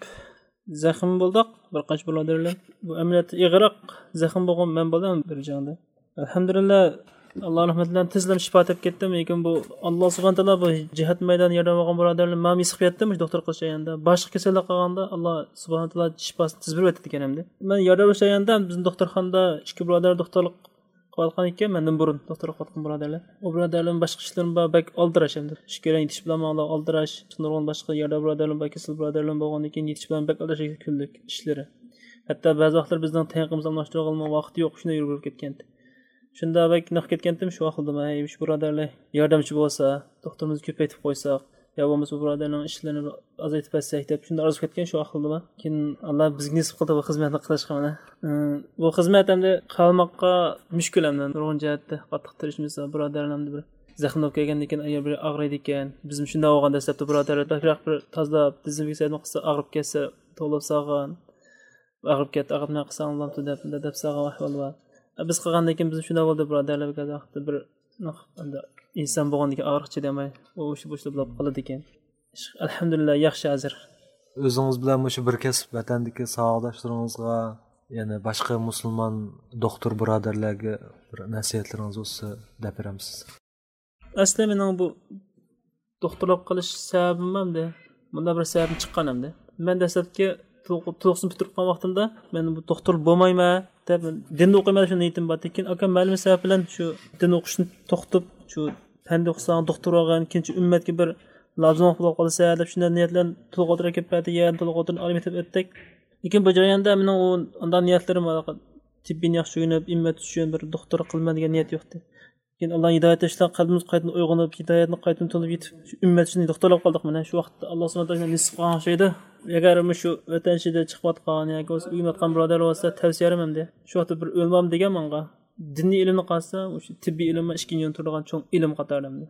زەخىم بولدۇق، بىر قانچە بۇرادەرلەر. بۇ ئەمەلىيەتتە ئېغىرراق زەخىم بولغان مەن بولدۇم بىر جەڭدە. ئەلھەمدۇلىللا، ئاللا رەھمىتى بىلەن تېزلا شىپا تېپىپ كەتتىم. لېكىن بۇ، ئاللا سۇبھانە تائالا بۇ جىھاد مەيدانى ياردەم بولغان بۇرادەرلەر ماڭا مېسىق بەردى، مۇشۇ دوختۇر قىلىش جەريانىدا. باشقا كېسەللىك قالغاندا، ئاللا سۇبھانە تائالا شىپاسىنى تېز بېرىۋەتتى ئىكەن ئەمدى. مەن ياردەم بېرىش جەريانىدا بىزنىڭ دوختۇرخانىدا ئىككى بۇرادەر دوختۇرلۇق قىلىۋاتقان ئىكەن، مەندىن بۇرۇن دوختۇرلۇق قىلىۋاتقان بۇرادەرلەر. ئۇ بۇرادەرلەرنىڭ باشقا ئىشلىرىمۇ بار، بەك ئالدىراش ئەمدى. ئىككىيلەن يېتىش بىلەن ماڭىلا ئالدىراش. نۇرغۇن باشقا ياردەم بۇرادەرلىرىم بار، كېسەل بۇرادەرلىرىم بولغاندىن كېيىن يېتىش بىلەن بەك ئالدىراش كۈنلۈك ئىشلىرى. ھەتتا بەزى ۋاقىتلار بىزنىڭ تېڭىقىمىزنى ئالماشتۇرغىلىمۇ ۋاقتى يوق، شۇنداق يۈرۈپ كەتكەن. شۇنداق بەك نىق كەتكەنتىم شۇ ئاقلىدىم، ھەي، شۇ بۇرادەرلەر ياردەمچى بولسا، دوختۇرىمىزنى كۆپەيتىپ قويساق، يا بولمىسا بۇ بۇرادەرنىڭ ئىشلىرىنى بىر ئازايتىپ بەرسەك دەپ شۇنداق ئارزۇ كەتكەن شۇ ئاقلىدىم. كېيىن ئاللا بىزگە نېسىپ قىلدى بۇ خىزمەتنى قىلىشقا مانا. ئى، بۇ خىزمەت ئەمدى قىلالماققا مۈشكۈل ئەمدى نۇرغۇن جەھەتتە قاتتىق تىرىشمىسا بۇرادەرلەر ئەمدى بىر زەخىم بولۇپ كەلگەندىن كېيىن ئايال بىر ئاغرىيدىكەن. بىزمۇ شۇنداق بولغان دەسلەپتە بۇرادەرلەر بەكرەك بىر تازىلاپ دېزىنفېكسىيە قىلسا ئاغرىپ كەتسە توۋلاپ سالغان. ئاغرىپ كەتتى، ئاغرىپ نېمە قىلساڭ بولامتۇ دەپ، دەپ سالغان ئەھۋال بار. بىز قىلغاندىن كېيىن بىزمۇ شۇنداق بولدى بۇرادەرلەر بەزى ۋاقىتتا بىر ئەمدى ئىنسان بولغاندىن كېيىن ئاغرىق چىدىيالماي ئۇ ئىشى بوشلاپ بولۇپ قالىدىكەن. ئەلھەمدۇلىللا ياخشى ھازىر. ئۆزىڭىز بىلەن مۇشۇ بىر كەسىپ ۋەتەندىكى ساۋاقداشلىرىڭىزغا، يەنە باشقا مۇسۇلمان دوختۇر بۇرادەرلەرگە بىر نەسىھەتلىرىڭىز بولسا دەپ بېرەمسىز؟ ئەسلى مېنىڭ بۇ دوختۇرلۇق قىلىش سەۋەبىم ئەمدى مۇنداق بىر سەۋەبتىن چىققان ئەمدى. مەن دەسلەپكى تولۇق-، تولۇقسىز پۈتتۈرۈپ قالغان ۋاقتىمدا مەن بۇ دوختۇر بولمايمەن دەپ دىندا ئوقۇيمەن دەپ شۇ نىيىتىم بار. لېكىن ئاكام مەلۇم سەۋەب بىلەن شۇ دىن ئوقۇشنى توختىتىپ، شۇ پەندە ئوقۇساڭ دوختۇر بولغىن، كېيىنچە ئۈممەتكە بىر لازىملىق بولۇپ قالىسەن دەپ شۇنداق نىيەت بىلەن تولۇق ئوتتۇرا كېلىپ بەردى، يەنە تولۇق ئوتتۇرىنى ئالىي مەكتەپ ئۆتتۇق. لېكىن بۇ جەرياندا مېنىڭ ئۇ ئانداق نىيەتلىرىم، تېببىينى ياخشى ئۆگىنىپ، ئۈممەت ئۈچۈن بىر دوختۇر قىلىمەن دېگەن نىيەت يوقتى. كېيىن ئاللا ھىدايەت بېرىشى بىلەن قەلبىمىز قايتىدىن ئويغىنىپ، ھىدايەتنى قايتىدىن تونۇپ يېتىپ، شۇ ئۈممەت ئۈچۈن دوختۇر بولۇپ قالدۇق مانا. شۇ ۋاقىتتا ئاللا سۇبھانەھۇ ۋە تائالا نېسىپ قىلغان ئوخشايدۇ. ئەگەر مۇشۇ ۋەتەن ئىچىدە چىقىۋاتقان ياكى بولمىسا ئۆگىنىۋاتقان بۇرادەر بولسا تەۋسىيەم ئەمدى. شۇ ۋاقىتتا بىر ئۆلمام دېگەن ماڭا. دىنىي ئىلىمنى قالسا، مۇشۇ تېببىي ئىلىم ئىككىنچى ئورۇندا تۇرىدىغان چوڭ ئىلىم قاتارىدا ئەمدى.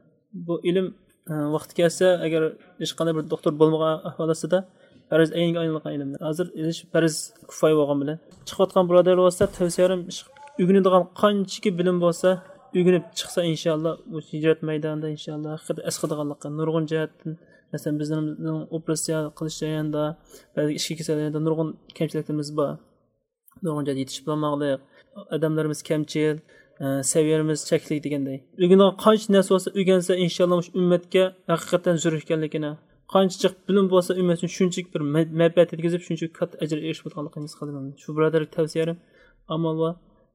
بۇ ئىلىم، ئە، ۋاقتى كەلسە، ئەگەر ھېچقانداق بىر دوختۇر بولمىغان ئەھۋال ئاستىدا، پەرز ئەينگە ئايلانغان ئىلىم. ھازىر ئىلىش پەرز كۇپايە بولغان بىلەن. چىقىۋاتقان بۇرادەرلەر بولسا، تەۋسىيەم ئۆگىنىدىغان قانچىكى بىلىم بولسا، ئۆگىنىپ چىقسا، ئىنشاللا، بۇ ھىجرەت مەيدانىدا، ئىنشاللا، ھەقىقەتەن ئەسقاتىدىغانلىقى، نۇرغۇن جەھەتتىن، مەسىلەن، بىزنىڭ ئوپېراتسىيە قىلىش جەريانىدا، بەزى ئىچكى كېسەللەردە نۇرغۇن كەمچىلىكلىرىمىز بار. نۇرغۇن جايدا يېتىشىپ بولماقلىق، ئادەملىرىمىز كەمچىل، ئە، سەۋىيەلىرىمىز چەكلىك دېگەندەي. ئۆگىنىدىغان قانچە نەرسە بولسا ئۆگەنسە، ئىنشاللا مۇشۇ ئۈممەتكە ھەقىقەتەن زۆرۈر ئىكەنلىكىنى، قانچە جىق بىلىم بولسا ئۈممەت ئۈچۈن شۇنچىلىك بىر مە-، مەنپەئەت يەتكۈزۈپ، شۇنچىلىك كاتتا ئەجىرگە ئېرىشىپ بولىدىغانلىقىنى ھېس قىلدىم. شۇ بۇرادەرلەرگە تەۋسىيەم، ئامال بار،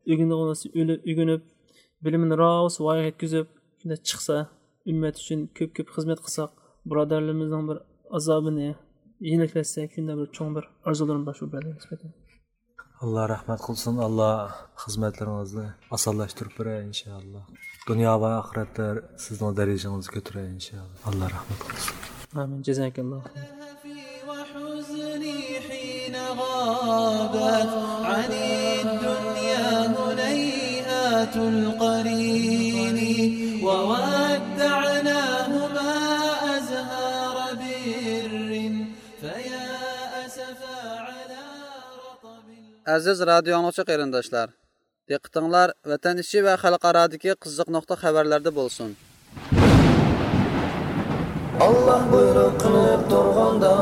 ئۆگىنىدىغان بولسا ئۆلە-، ئۆگىنىپ، بىلىمىنى راۋۇس ۋايىغا يەتكۈزۈپ، شۇنداق چىقسا، ئۈممەت ئۈچۈن كۆپ-كۆپ خىزمەت قىلساق، بۇرادەرلىرىمىزنىڭ بىر ئازابىنى يېنىكلەتسەك، شۇنداق بىر چوڭ بىر ئارزۇلىرىم بار شۇ بۇرادەرلەرگە نىسبەتەن. ئاللا رەھمەت قىلسۇن، ئاللا خىزمەتلىرىڭىزنى ئاسانلاشتۇرۇپ بېرەر، ئىنشائاللا. دۇنيا ۋە ئاخىرەتتە سىزنىڭ دەرىجىڭىزنى كۆتۈرەر، ئىنشائاللا. ئاللا رەھمەت قىلسۇن. ئامىن. جازاكاللا خەير. وحزني حين غابت عن الدنيا هنيهات القرين وودعناهما أزهار بر فيا أسفا على رطب. ئەزىز رادىيو ئاڭلىغۇچى قېرىنداشلار، دىققىتىڭلار ۋەتەن ئىچى ۋە خەلقئارادىكى قىزىق نۇقتا خەۋەرلەردە بولسۇن. ئاللا بۇيرۇق قىلىپ تۇرغاندا،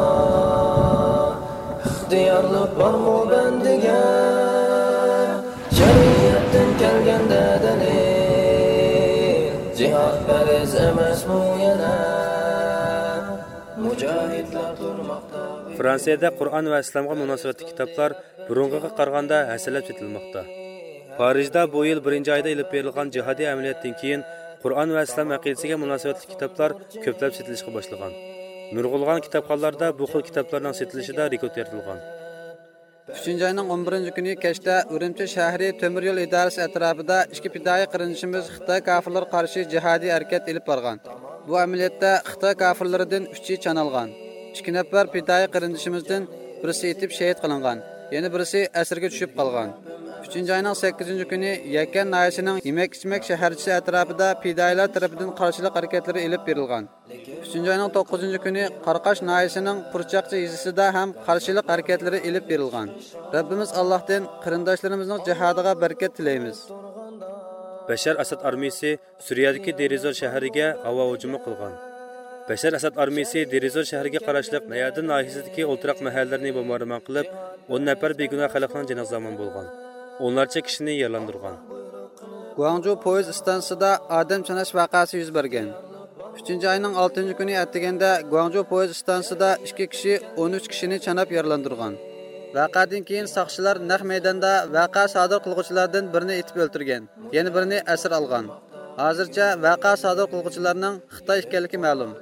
ئىختىيارلىق بارمۇ بەندىگە؟ شەرىئەتتىن كەلگەندە دەلىل، جىھاد پەرز ئەمەسمۇ يەنە؟ مۇجاھىدلار تۇرماقتا. فرانسىيەدە قۇرئان ۋە ئىسلامغا مۇناسىۋەتلىك كىتابلار بۇرۇنقىغا قارىغاندا ھەسسىلەپ سېتىلماقتا. پارىژدا بۇ يىل بىرىنچى ئايدا ئېلىپ بېرىلغان جىھادىي ئەمەلىياتتىن كېيىن، قۇرئان ۋە ئىسلام ئەقىدىسىگە مۇناسىۋەتلىك كىتابلار كۆپلەپ سېتىلىشقا باشلىغان. نۇرغۇنلىغان كىتابخانىلاردا بۇ خىل كىتابلارنىڭ سېتىلىشىدا رېكورت يارىتىلغان. ئۈچىنچى ئاينىڭ ئون بىرىنچى كۈنى كەچتە ئۈرۈمچى شەھىرى تۆمۈر يول ئىدارىسى ئەتراپىدا ئىككى پىدائىي قېرىندىشىمىز خىتاي كاپىرلىرىغا قارشى جىھادىي ھەرىكەت ئېلىپ بارغان. بۇ ئەمەلىيەتتە خىتاي كاپىرلىرىدىن ئۈچى چانالغان. ئىككى نەپەر پىدائىي قېرىندىشىمىزدىن بىرسى ئېتىپ شېھىت قىلىنغان، يەنە بىرسى ئەسىرگە چۈشۈپ قالغان. ئۈچىنچى ئاينىڭ سەككىزىنچى كۈنى يەكەن ناھىيەسىنىڭ يېمەك-ئىچمەك شەھەرچىسى ئەتراپىدا پىدائىيلار تەرىپىدىن قارشىلىق ھەرىكەتلىرى ئېلىپ بېرىلغان. ئۈچىنچى ئاينىڭ توققۇزىنچى كۈنى قاراقاش ناھىيەسىنىڭ پۇرچاقچى يېزىسىدا ھەم قارشىلىق ھەرىكەتلىرى ئېلىپ بېرىلغان. رەببىمىز ئاللاھتىن قېرىنداشلىرىمىزنىڭ جىھادىغا بەرىكەت تىلەيمىز. بەشار ئەسەد ئارمىيىسى سۈرىيەدىكى دېرىزور شەھىرىگە ھاۋا ھۇجۇمى قىلغان. بەشار ئەسەد ئارمىيىسى دېرىزور شەھىرىگە قاراشلىق نەيادىن ناھىيەسىدىكى ئولتۇراق مەھەللىلەرنى بومباردىمان قىلىپ، ئون نەپەر بىگۇناھ خەلقنىڭ جېنىغا زامىن بولغان. ئونلارچە كىشىنى يارىلاندۇرغان. گۇاڭجۇ پويىز ئىستانسىسىدا ئادەم چاناش ۋەقەسى يۈز بەرگەن. ئۈچىنچى ئاينىڭ ئالتىنچى كۈنى ئەتىگەندە گۇاڭجۇ پويىز ئىستانسىسىدا ئىككى كىشى ئون ئۈچ كىشىنى چاناپ يارىلاندۇرغان. ۋەقەدىن كېيىن ساقچىلار نەق مەيداندا ۋەقە سادىر قىلغۇچىلاردىن بىرىنى ئېتىپ ئۆلتۈرگەن، يەنە بىرىنى ئەسىر ئالغان. ھازىرچە ۋەقە سادىر قىلغۇچىلارنىڭ خىتاي ئىكەنلىكى مەلۇم.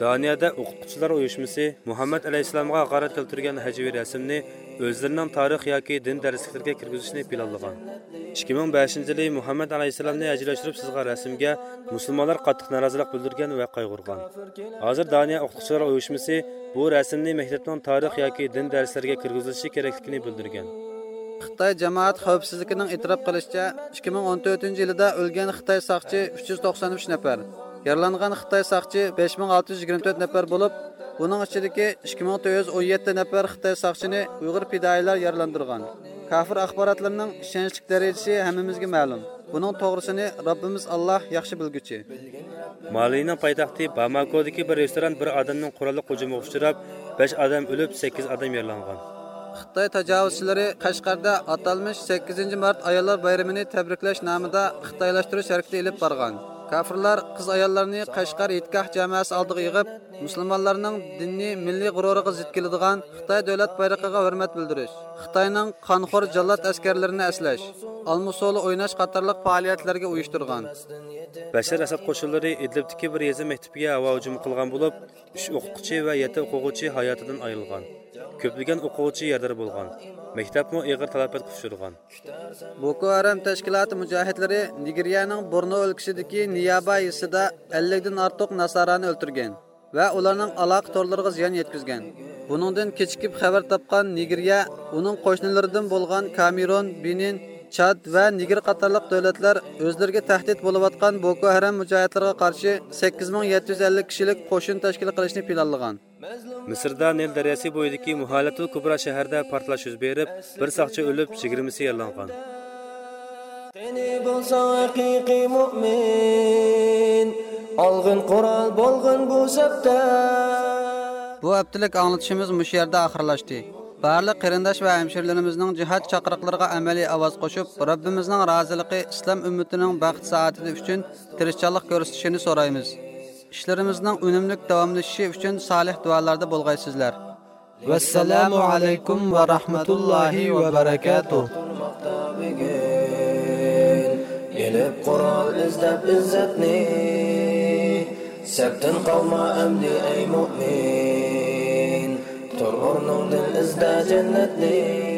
دانىيەدە ئوقۇتقۇچىلار ئۇيۇشمىسى مۇھەممەد ئەلەيھىسسالامغا ھاقارەت كەلتۈرگەن ھەجۋىي رەسىمنى ئۆزلىرىنىڭ تارىخ ياكى دىن دەرسلىكلىرىگە كىرگۈزۈشنى پىلانلىغان. ئىككى مىڭ بەشىنچى يىلى مۇھەممەد ئەلەيھىسسالامنى ھەجۋىيلەشتۈرۈپ سىزغان رەسىمگە مۇسۇلمانلار قاتتىق نارازىلىق بىلدۈرگەن ۋە قايغۇرغان. ھازىر دانىيە ئوقۇتقۇچىلار ئۇيۇشمىسى بۇ رەسىمنى مەكتەپنىڭ تارىخ ياكى دىن دەرسلىرىگە كىرگۈزۈلۈشى كېرەكلىكىنى بىلدۈرگەن. خىتاي جامائەت خەۋپسىزلىكىنىڭ ئېتىراپ قىلىشىچە، ئىككى مىڭ ئون تۆتىنچى يىلىدا ئۆلگەن خىتاي ساقچى ئۈچ يۈز توقسان ئۈچ نەپەر، يارىلانغان خىتاي ساقچى بەش مىڭ ئالتە يۈز يىگىرمە تۆت نەپەر بولۇپ، بۇنىڭ ئىچىدىكى ئىككى مىڭ تۆت يۈز ئون يەتتە نەپەر خىتاي ساقچىنى ئۇيغۇر پىدائىيلار يارىلاندۇرغان. كافىر ئاخباراتلىرىنىڭ ئىشەنچلىك دەرىجىسى ھەممىمىزگە مەلۇم. بۇنىڭ توغرىسىنى رەببىمىز ئاللاھ ياخشى بىلگۈچى. مالىنىڭ پايتەختى باماكودىكى بىر رېستوران بىر ئادەمنىڭ قوراللىق ھۇجۇمىغا ئۇچراپ، بەش ئادەم ئۆلۈپ، سەككىز ئادەم يارىلانغان. خىتاي تاجاۋۇزچىلىرى قەشقەردە ئاتالمىش سەككىزىنچى مارت ئاياللار بايرىمىنى تەبرىكلەش نامىدا خىتايلاشتۇرۇش ھەرىكىتى ئېلىپ بارغان. كافىرلار قىز ئاياللارنى قەشقەر ھېيتگاھ جامائەسى ئالدىغا يىغىپ، مۇسۇلمانلارنىڭ دىنىي مىللىي غۇرۇرىغا زىت كېلىدىغان خىتاي دۆلەت بايرىقىغا ھۆرمەت بىلدۈرۈش، خىتاينىڭ قانخور جاللات ئەسكەرلىرىنى ئەسلەش، ئالما سولى ئويناش قاتارلىق پائالىيەتلەرگە ئۇيۇشتۇرغان. بەشەر ئەسەد قوشۇنلىرى ئىدلىبتىكى بىر يېزا مەكتىپىگە ھاۋا ھۇجۇمى قىلغان بولۇپ، ئۈچ ئوقۇتقۇچى ۋە يەتتە ئوقۇغۇچى ھاياتىدىن ئايرىلغان. كۆپلىگەن ئوقۇغۇچى يارىدار بولغان. مەكتەپمۇ ئېغىر تالاپەتكە ئۇچرىغان. بوكو ھارام تەشكىلاتى مۇجاھىدلىرى نىگېرىيەنىڭ بورنو ئۆلكىسىدىكى نىيابا يېزىسىدا ئەللىكتىن ئارتۇق ناسارانى ئۆلتۈرگەن ۋە ئۇلارنىڭ ئالاقە تورلىرىغا زىيان يەتكۈزگەن. بۇنىڭدىن كېچىكىپ خەۋەر تاپقان نىگېرىيە ئۇنىڭ قوشنىلىرىدىن بولغان كامېرون، بېنىن، چاد ۋە نىگېر قاتارلىق دۆلەتلەر ئۆزلىرىگە تەھدىت بولۇۋاتقان بوكو ھارام مۇجاھىدلىرىغا قارشى سەككىز مىڭ يەتتە يۈز ئەللىك كىشىلىك قوشۇن تەشكىل قىلىشنى پىلانلىغان. مىسىردا نىل دەرياسى بويىدىكى مۇھالەتۇل كۇبرا شەھىرىدە پارتلاش يۈز بېرىپ، بىر ساقچى ئۆلۈپ، يىگىرمىسى يارىلانغان. قېنى بولساڭ ھەقىقىي مۇئمىن، ئالغىن قورال، بولغىن بۇ سەپتە. بۇ ھەپتىلىك ئاڭلىتىشىمىز مۇشۇ يەردە ئاخىرلاشتى. بارلىق قېرىنداش ۋە ھەمشىرىلىرىمىزنىڭ جىھاد چاقىرىقلىرىغا ئەمەلىي ئاۋاز قوشۇپ، رەببىمىزنىڭ رازىلىقى، ئىسلام ئۈممىتىنىڭ بەخت سائادىتى ئۈچۈن تىرىشچانلىق كۆرسىتىشىنى سورايمىز. ئىشلىرىمىزنىڭ ئۈنۈملۈك داۋاملىشىشى ئۈچۈن سالىھ دۇئالاردا بولغايسىزلەر. ۋەسسالامۇ ئەلەيكۇم ۋە رەھمەتۇللاھى ۋە بەرەكاتۇھ. تۇرماقتا بۈگۈن ئېلىپ قورال ئىزدەپ ئىززەتنى، سەپتىن قالما ئەمدى ئەي مۇئمىن، تۇر ئورنۇڭدىن ئىزدە جەننەتنى.